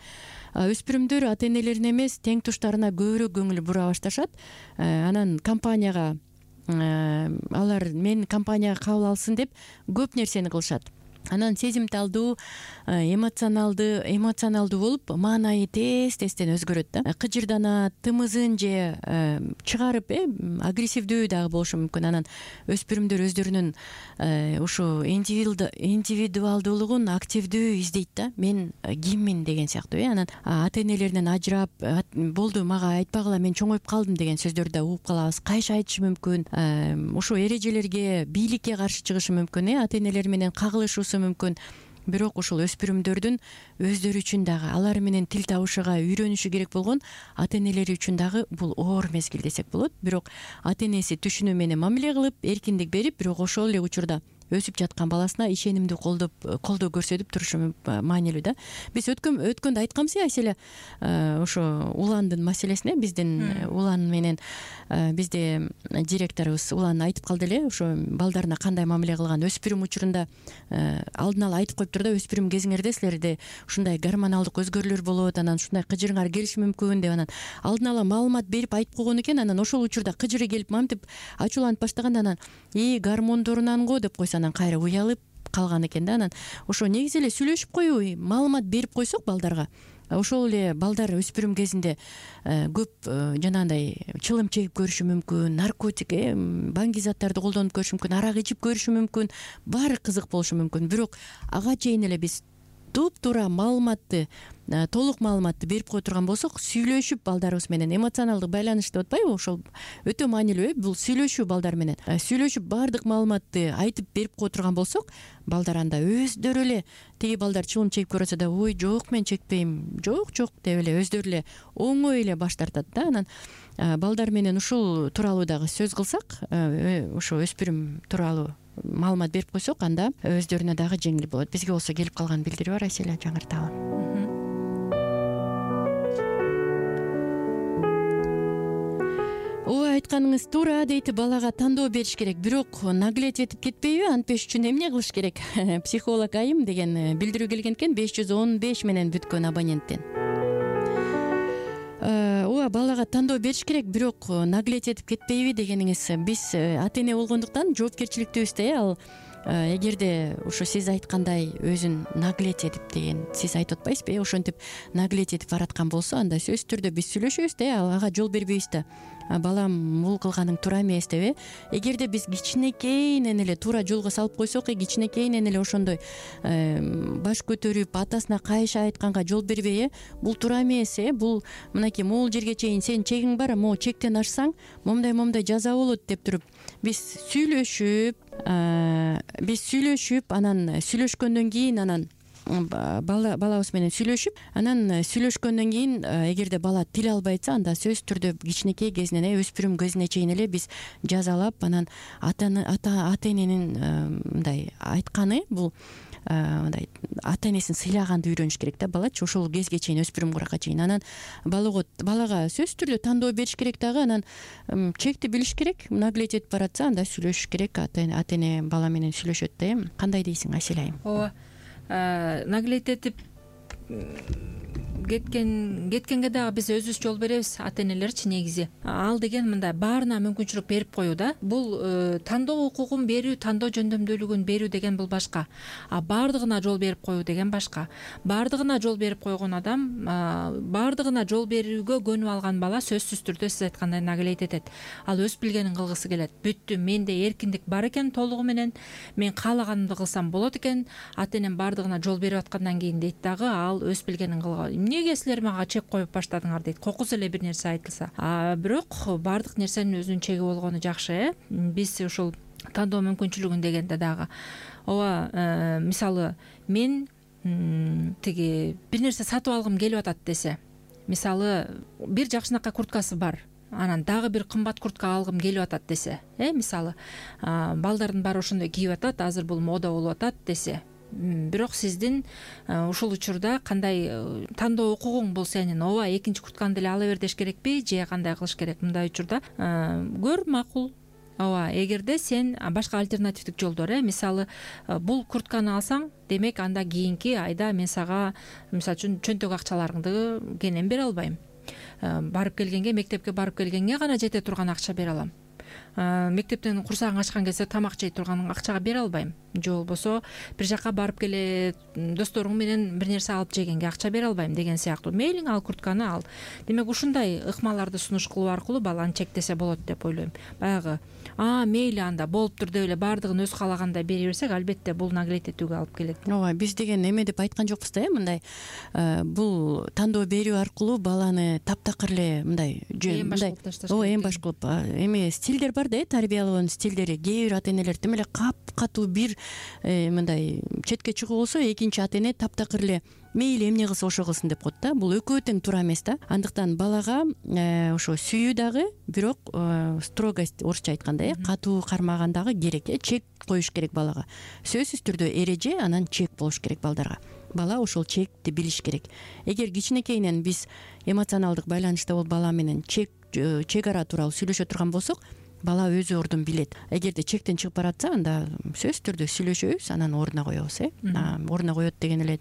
Өспүрүмдөр ата энелерине эмес, тең туштарына көбүрөөк көңүл бура башташат. Анан компанияга алар мен компанияга кабыл алсын деп көп нерсени кылышат. Анан сезимталдуу, эмоционалдуу болуп, маанайы тез-тезден өзгөрөт да. Кыжырданат, тымызын же чыгарып, агрессивдүү дагы болушу мүмкүн. Анан өспүрүмдөр өздөрүнүн ушу индивидуалдуулугун активдүү издейт да. Мен киммин деген сыяктуу. Анан ата энелеринен ажырап, болду мага айтпагыла, мен чоңоюп калдым деген сөздөрдү да угуп калабыз. Кайша айтышы мүмкүн. Ушу эрежелерге, бийликке каршы чыгышы мүмкүн. Ата энелер менен кагылышуусу мүмкүн. Бирок ушул өспүрүмдөрдүн өздөрү үчүн дагы, алар менен тил табышууга үйрөнүшү керек болгон ата энелери үчүн дагы бул оор мезгил десек болот. Бирок ата энеси түшүнүү менен мамиле кылып, эркиндик берип, бирок ошол эле учурда өсүп жаткан баласына ишенимдүү колдоо көрсөтүп турушу маанилүү да. Биз өткөндө айтканбыз Айселе, ошо уландын маселесине, биздин улан менен бизде директорубуз улан айтып калды эле, ошо балдарына кандай мамиле кылган. Өспүрүм учурунда алдын ала айтып коюптур да, өспүрүм кезиңерде силерде ушундай гормоналдык өзгөрүүлөр болот, анан ушундай кыжырыңар келиши мүмкүн деп, анан алдын ала маалымат берип айтып койгон экен. Анан ошол учурда кыжыры келип мамтип ачууланып баштаганда, анан гормондорунан го деп койсо, анан кайра уялып калган экен да. Анан ошо негизи эле сүйлөшүп коюу, маалымат берип койсок балдарга, ошол эле балдар өспүрүм кезинде көп жанагындай чылым чегип көрүшү мүмкүн, наркотик, баңги заттарды колдонуп көрүшү мүмкүн, арак ичип көрүшү мүмкүн, баары кызык болушу мүмкүн. Бирок ага чейин эле биз туп-туура маалыматты, толук маалыматты берип кое турган болсок, сүйлөшүп балдарыбыз менен эмоционалдык байланыш деп атпайбы, ошол өтө маанилүү. Бул сүйлөшүү балдар менен. Сүйлөшүп баардык маалыматты айтып берип кое турган болсок, балдар анда өздөрү эле, тиги балдар чылым чегип көрөсө да, ой жок мен чекпейм, жок деп эле өздөрү эле оңой эле баш тартат да. Анан балдар менен ушул тууралуу дагы сөз кылсак, ошо өспүрүм тууралуу маалымат берип койсок, анда өздөрүнө дагы жеңил болот. Бизге болсо келип калган билдирүү бар, Айселе, жаңырталы. Ооба, айтканыңыз туура дейт. Балага тандоо бериш керек, бирок наглеть этип кетпейби? Антпеш үчүн эмне кылыш керек? Психолог айым деген билдирүү келген экен 515 менен бүткөн абоненттен. Ооба, ооба, балага тандоо бериш керек, бирок наглеть этип кетпейби дегениңиз. Биз ата эне болгондуктан жоопкерчиликтүүбүз ал эгерде ошо сиз айткандай өзүн наглеть этип деген сиз айтып атпайсызбы, ошентип наглеть этип бараткан болсо, анда сөзсүз түрдө биз сүйлөшөбүз да, ага жол бербейбиз да. Балам бул кылганың туура эмес деп. Эгерде биз кичинекейинен эле туура жолго салып койсок, кичинекейинен эле ошондой баш көтөрүп атасына кайша айтканга жол бербей, бул туура эмес, бул мынакей могул жерге чейин сенин чегиң бар, могу чектен ашсаң момундай жаза болот деп туруп биз сүйлөшүп, анан сүйлөшкөндөн кийин анан балабыз менен сүйлөшүп, анан сүйлөшкөндөн кийин эгерде бала тил албай атса, анда сөзсүз түрдө кичинекей кезинен өспүрүм кезине чейин эле биз жазалап, анан ата эненин мындай айтканы бул мындай ата энесин сыйлаганды үйрөнүш керек да балачы, ошол кезге чейин, өспүрүм куракка чейин. Анан балага сөзсүз түрдө тандоо бериш керек дагы, анан чекти билиш керек. Наглеть этип баратса, анда сүйлөшүш керек. Ата эне бала менен сүйлөшөт да. Кандай дейсиң, Асель айым? ооба, наглеть этип кеткенге дагы биз өзүбүз жол беребиз, ата энелерчи. Негизи ал деген мындай баарына мүмкүнчүлүк берип коюу да. Бул тандоо укугун берүү, тандоо жөндөмдүүлүгүн берүү деген бул башка, баардыгына жол берип коюу деген башка. Баардыгына жол берип койгон адам, баардыгына жол берүүгө көнүп алган бала сөзсүз түрдө сиз айткандай наглеть этет. Ал өз билгенин кылгысы келет. Бүттү, менде эркиндик бар экен толугу менен, мен каалаганымды кылсам болот экен, ата энем баардыгына жол берип аткандан кийин дейт дагы, ал өз билгенин кылган. Эмнеге силер мага чек коюп баштадыңар дейт, кокус эле бир нерсе айтылса. Бирок баардык нерсенин өзүнүн чеги болгону жакшы. Биз ушул тандоо мүмкүнчүлүгүн дегенде дагы, ооба, мисалы мен тиги бир нерсе сатып алгым келип атат десе, мисалы бир жакшынакай курткасы бар, анан дагы бир кымбат куртка алгым келип атат десе, мисалы балдардын баары ошондой кийип атат, азыр бул мода болуп атат десе, бирок сиздин ушул учурда кандай тандоо укугуң бул сенин? Ооба, экинчи куртканы деле ала бер деш керекпи же кандай кылыш керек? Мындай учурда көр, макул. Ооба, эгерде сен башка альтернативдик жолдор, мисалы бул куртканы алсаң, демек анда кийинки айда мен сага мисалы үчүн чөнтөк акчаларыңды кенен бере албайм. Барып келгенге, мектепке барып келгенге гана жете турган акча бере алам. Мектептен курсагың ачкан кезде тамак жей турган акчага бере албайм. Же болбосо бир жака барып келе досторуң менен бир нерсе алып жегенге акча бере албайм деген сыяктуу. Мейлиң ал куртканы ал. Демек ушундай ыкмаларды сунуш кылуу аркылуу баланы чектесе болот деп ойлойм. Баягы мейли анда болуптур деп эле баардыгын өз каалагандай бере берсек, албетте бул наглеть этүүгө алып келет. Ооба, биз деген эме деп айткан жокпуз да, мындай бул тандоо берүү аркылуу баланы таптакыр эле мындай эң баш кылып эме стилдер бар да, тарбиялоонун стилдери. Кээ бир ата энелер тим эле катуу бир мындай четке чыгуу болсо, экинчи ата эне таптакыр эле мейли эмне кылса ошо кылсын деп коет да. Бул экөө тең туура эмес да. Андыктан балага ошо сүйүү дагы, бирок строгость, орусча айтканда катуу кармаган дагы керек, чек коюш керек балага. Сөзсүз түрдө эреже, анан чек болуш керек балдарга. Бала ошол чекти билиш керек. Эгер кичинекейинен биз эмоционалдык байланышта болуп бала менен чек ара тууралуу сүйлөшө турган болсок, бала өзү ордун билет. Эгерде чектен чыгып баратса, анда сөзсүз түрдө сүйлөшөбүз, анан ордуна коебуз. Ордуна коет деген эле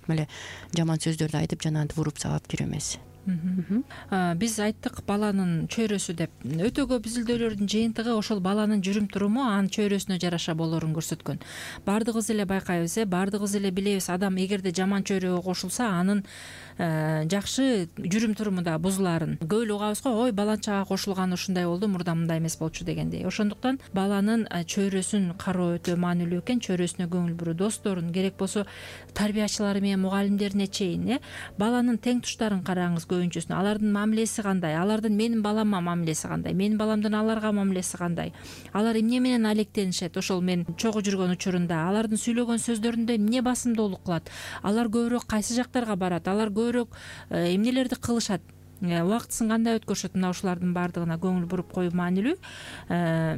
жаман сөздөрдү айтып жанагынтип уруп сабап жүрүү эмес. Биз айттык баланын чөйрөсү деп. Өтө көп изилдөөлөрдүн жыйынтыгы ошол баланын жүрүм туруму анын чөйрөсүнө жараша болоорун көрсөткөн. Баардыгыбыз эле байкайбыз, баардыгыбыз эле билебиз, адам эгерде жаман чөйрөгө кошулса, анын жакшы жүрүм туруму да бузулаарын. Көп эле угабыз го, ой баланчага кошулган ушундай болду, мурда мындай эмес болчу дегендей. Ошондуктан баланын чөйрөсүн кароо өтө маанилүү экен, чөйрөсүнө көңүл буруу, досторун, керек болсо тарбиячылары менен мугалимдерине чейин, баланын тең туштарын караңыз. Көбүнчөсүнө алардын мамилеси кандай, алардын менин балама мамилеси кандай, менин баламдын аларга мамилеси кандай, алар эмне менен алектенишет, ошол мен чогуу жүргөн учурунда алардын сүйлөгөн сөздөрүндө эмне басымдуулук кылат, алар көбүрөөк кайсы жактарга барат, алар көбүрөөк эмнелерди кылышат, убактысын кандай өткөрүшөт, мына ушулардын баардыгына көңүл буруп коюу маанилүү.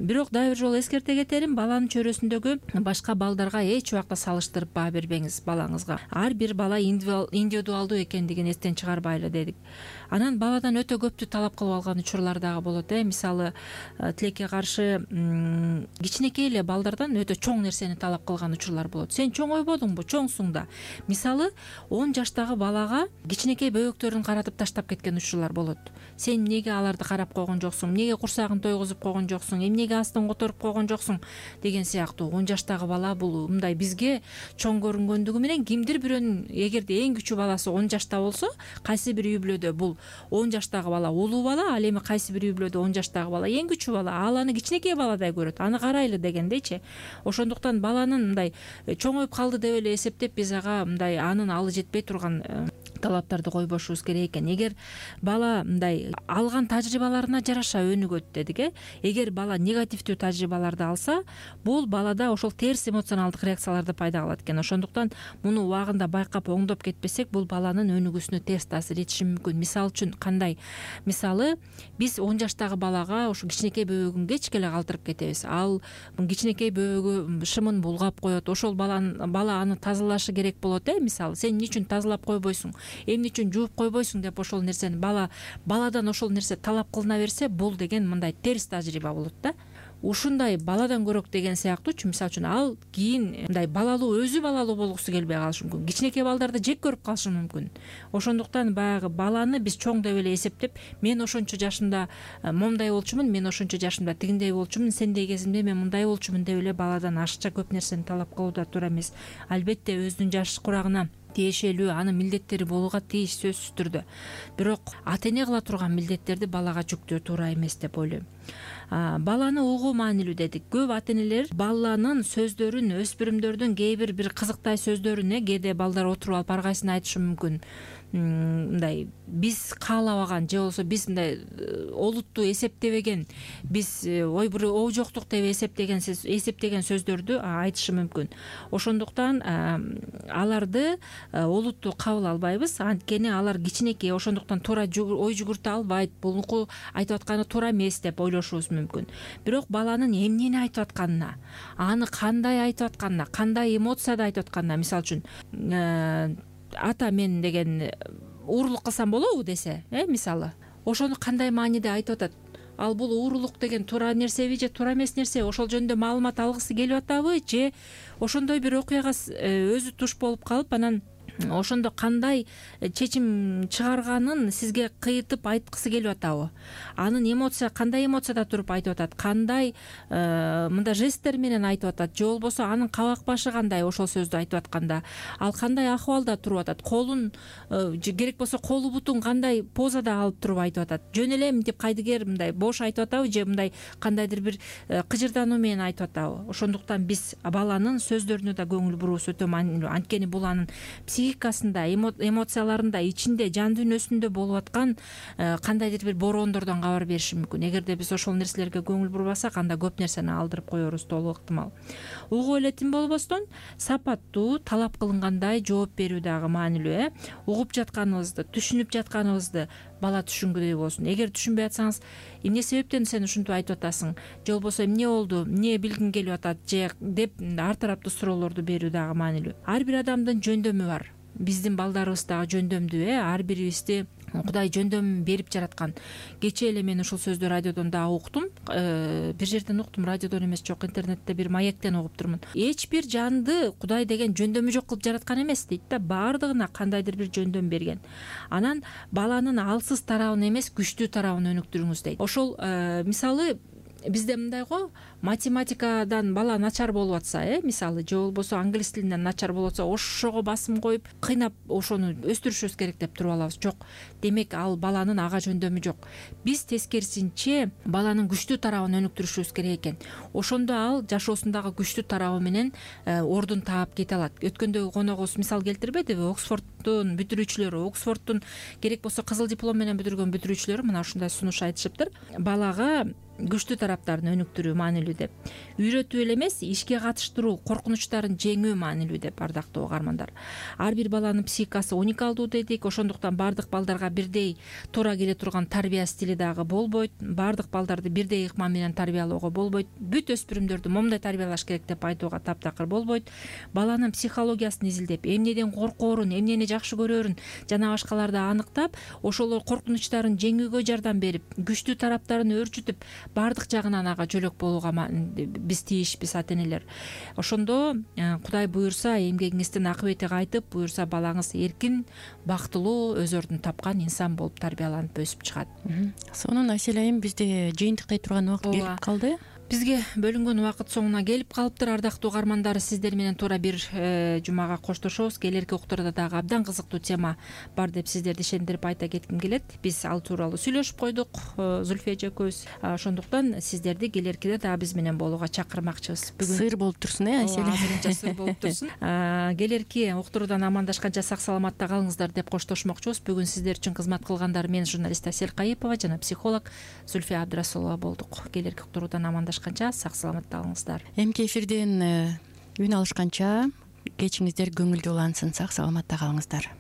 Бирок дагы бир жолу эскерте кетерим, баланын чөйрөсүндөгү башка балдарга эч убакта салыштырып баа бербеңиз балаңызга. Ар бир бала индивидуалдуу экендигин эстен чыгарбайлы дедик. Анан баладан өтө көптү талап кылып алган учурлар дагы болот. Мисалы тилекке каршы кичинекей эле балдардан өтө чоң нерсени талап кылган учурлар болот. Сен чоңойбодуңбу, чоңсуң да. Мисалы 10 жаштагы балага кичинекей бөбөктөрүн каратып таштап кеткен айтуучулар болот. Сен эмнеге аларды карап койгон жоксуң, эмнеге курсагын тойгузуп койгон жоксуң, эмнеге астын которуп койгон жоксуң деген сыяктуу. 10 жаштагы бала бул мындай бизге чоң көрүнгөндүгү менен кимдир бирөөнүн эгерде эң күчүү баласы 10 жашта болсо, кайсы бир үй бүлөдө бул 10 жаштагы бала улуу бала, ал эми кайсы бир үй бүлөдө 10 жаштагы бала эң күчүү бала, ал аны кичинекей баладай көрөт, аны карайлы дегендейчи. Ошондуктан баланын мындай чоңоюп калды деп эле эсептеп биз ага мындай анын алы жетпей турган талаптарды койбошубуз керек экен. Эгер бала мындай алган тажрыйбаларына жараша өнүгөт дедик, эгер бала негативдүү тажрыйбаларды алса, бул балада ошол терс эмоционалдык реакцияларды пайда кылат экен. Ошондуктан муну убагында байкап оңдоп кетпесек, бул баланын өнүгүүсүнө терс таасир этиши мүмкүн. Мисалы үчүн кандай? Мисалы, биз 10 жаштагы балага ушу кичинекей бөбөгүн кечке эле калтырып кетебиз. Ал кичинекей бөбөгү шымын булгап коет. Ошол бала аны тазалашы керек болот. Мисалы, сен эмне үчүн тазалап койбойсуң, эмне үчүн жууп койбойсуң деп ошол нерсени баладан ошол нерсе талап кылына берсе, бул деген мындай терс тажрыйба болот да. Ушундай баладан көрөк деген сыяктуучу. Мисалы үчүн ал кийин мындай өзү балалуу болгусу келбей калышы мүмкүн. Кичинекей балдарды жек көрүп калышы мүмкүн. Ошондуктан баягы баланы биз чоң деп эле эсептеп, мен ошончо жашымда момундай болчумун, мен ошончо жашымда тигиндей болчумун, сендей кезимде мен мындай болчумун деп эле баладан ашыкча көп нерсени талап кылуу да туура эмес. Албетте өзүнүн жаш курагына тиешелүү анын милдеттери болууга тийиш сөзсүз түрдө. Бирок ата эне кыла турган милдеттерди балага жүктөө туура эмес деп ойлойм. Баланы угуу маанилүү дедик. Көп ата энелер баланын сөздөрүн, өспүрүмдөрдүн кээ бир кызыктай сөздөрүн кээде балдар отуруп алып ар кайсысын айтышы мүмкүн. Мындай биз каалабаган же болбосо биз мындай олуттуу эсептебеген, биз бир оо жоктук деп эсептеген сөздөрдү айтышы мүмкүн. Ошондуктан аларды олуттуу кабыл албайбыз, анткени алар кичинекей, ошондуктан туура ой жүгүртө албайт, булуку айтып атканы туура эмес деп ойлошубуз мүмкүн. Бирок баланын эмнени айтып атканына, аны кандай айтып атканына, кандай эмоцияда айтып атканына, мисалы үчүн ата мен деген уурулук кылсам болобу десе, мисалы, ошону кандай мааниде айтып атат? Ал бул уурулук деген туура нерсеби же туура эмес нерсе? Ошол жөнүндө маалымат алгысы келип атабы же ошондой бир окуяга өзү туш болуп калып, анан ошондо кандай чечим чыгарганын сизге кыйытып айткысы келип атабы? Анын кандай эмоцияда туруп айтып атат? Кандай мындай жесттер менен айтып атат? Же болбосо анын кабак башы кандай ошол сөздү айтып атканда? Ал кандай акыбалда туруп атат? Колун керек болсо колу бутун кандай позада алып туруп айтып атат? Жөн эле мынтип кайдыгер мындай бош айтып атабы же мындай кандайдыр бир кыжырдануу менен айтып атабы? Ошондуктан биз баланын сөздөрүнө да көңүл буруубуз өтө маанилүү. Анткени бул анын психикасында, эмоцияларында, ичинде, жан дүйнөсүндө болуп аткан кандайдыр бир бороондордон кабар бериши мүмкүн. Эгерде биз ошол нерселерге көңүл бурбасак, анда көп нерсени алдырып коерубуз толук ыктымал. Угуу эле тим болбостон, сапаттуу, талап кылынгандай жооп берүү дагы маанилүү. Угуп жатканыбызды, түшүнүп жатканыбызды бала түшүнгүдөй болсун. Эгер түшүнбөй атсаңыз, эмне себептен сен ушинтип айтып атасың? Же болбосо эмне болду? Эмне билгиң келип атат? Же деп ар тараптуу суроолорду берүү дагы маанилүү. Ар бир адамдын жөндөмү бар. Биздин балдарыбыз дагы жөндөмдүү, ар бирибизди Кудай жөндөм берип жараткан. Кечээ эле мен ушул сөздү радиодон дагы уктум. Бир жерден уктум, радиодон эмес, жок, интернетте бир маектен угуп турмун. Эч бир жанды Кудай деген жөндөмү жок кылып жараткан эмес дейт да, баардыгына кандайдыр бир жөндөм берген. Анан баланын алсыз тарабын эмес, күчтүү тарабын өнүктүрүңүз дейт. Ошол мисалы бизде мындай го, математикадан бала начар болуп атса, мисалы, же болбосо англис тилинен начар болуп атса, ошого басым коюп, кыйнап ошону өстүрүшүбүз керек деп туруп алабыз. Жок. Демек, ал баланын ага жөндөмү жок. Биз тескерисинче баланын күчтүү тарабын өнүктүрүшүбүз керек экен. Ошондо ал жашоосундагы күчтүү тарабы менен ордун таап кете алат. Өткөндөгү коногубуз мисал келтирбедиби? Оксфорддун бүтүрүүчүлөрү, Оксфорддун керек болсо кызыл диплом менен бүтүргөн бүтүрүүчүлөрү мына ушундай сунуш айтышыптыр. Балага күчтүү тараптарын өнүктүрүү маанилүү деп. Үйрөтүү эле эмес, ишке катыштыруу, коркунучтарын жеңүү маанилүү деп, ардактуу угармандар. Ар бир баланын психикасы уникалдуу дедик, ошондуктан баардык балдарга бирдей туура келе турган тарбия стили дагы болбойт. Баардык балдарды бирдей ыкма менен тарбиялоого болбойт. Бүт өспүрүмдөрдү момундай тарбиялаш керек деп айтууга таптакыр болбойт. Баланын психологиясын изилдеп, эмнеден коркоорун, эмнени жакшы көрөөрүн жана башкаларды аныктап, ошол коркунучтарын жеңүүгө жардам берип, күчтүү тараптарын өөрчүтүп, баардык жагынан ага жөлөк болууга биз тийишпиз, ата энелер. Ошондо Кудай буюрса эмгегиңиздин акыбети кайтып, буюрса балаңыз эркин, бактылуу, өз ордун тапкан инсан болуп тарбияланып өсүп чыгат. Сонун Асель айым, бизде жыйынтыктай турган убакыт келип калды. Бизге бөлүнгөн убакыт соңуна келип калыптыр. Ардактуу угармандар, сиздер менен туура бир жумага коштошобуз. Келерки уктурда дагы абдан кызыктуу тема бар деп сиздерди ишендирип айта кетким келет. Биз ал тууралуу сүйлөшүп койдук Зульфия эжекебиз. Ошондуктан сиздерди келеркиде дагы биз менен болууга чакырмакчыбыз. Сыр болуп турсун, Асель? Азырынча сыр болуп турсун. Келерки уктуруудан амандашканча сак саламатта калыңыздар деп коштошмокчубуз. Бүгүн сиздер үчүн кызмат кылгандар мен журналист Асель Кайыпова жана психолог Зульфия Абдрасулова болдук. Келерки уктуруудан амандашканча сак саламатта калыңыздар. Эмки эфирден үн алышканча кечиңиздер көңүлдүү улансын, сак саламатта калыңыздар.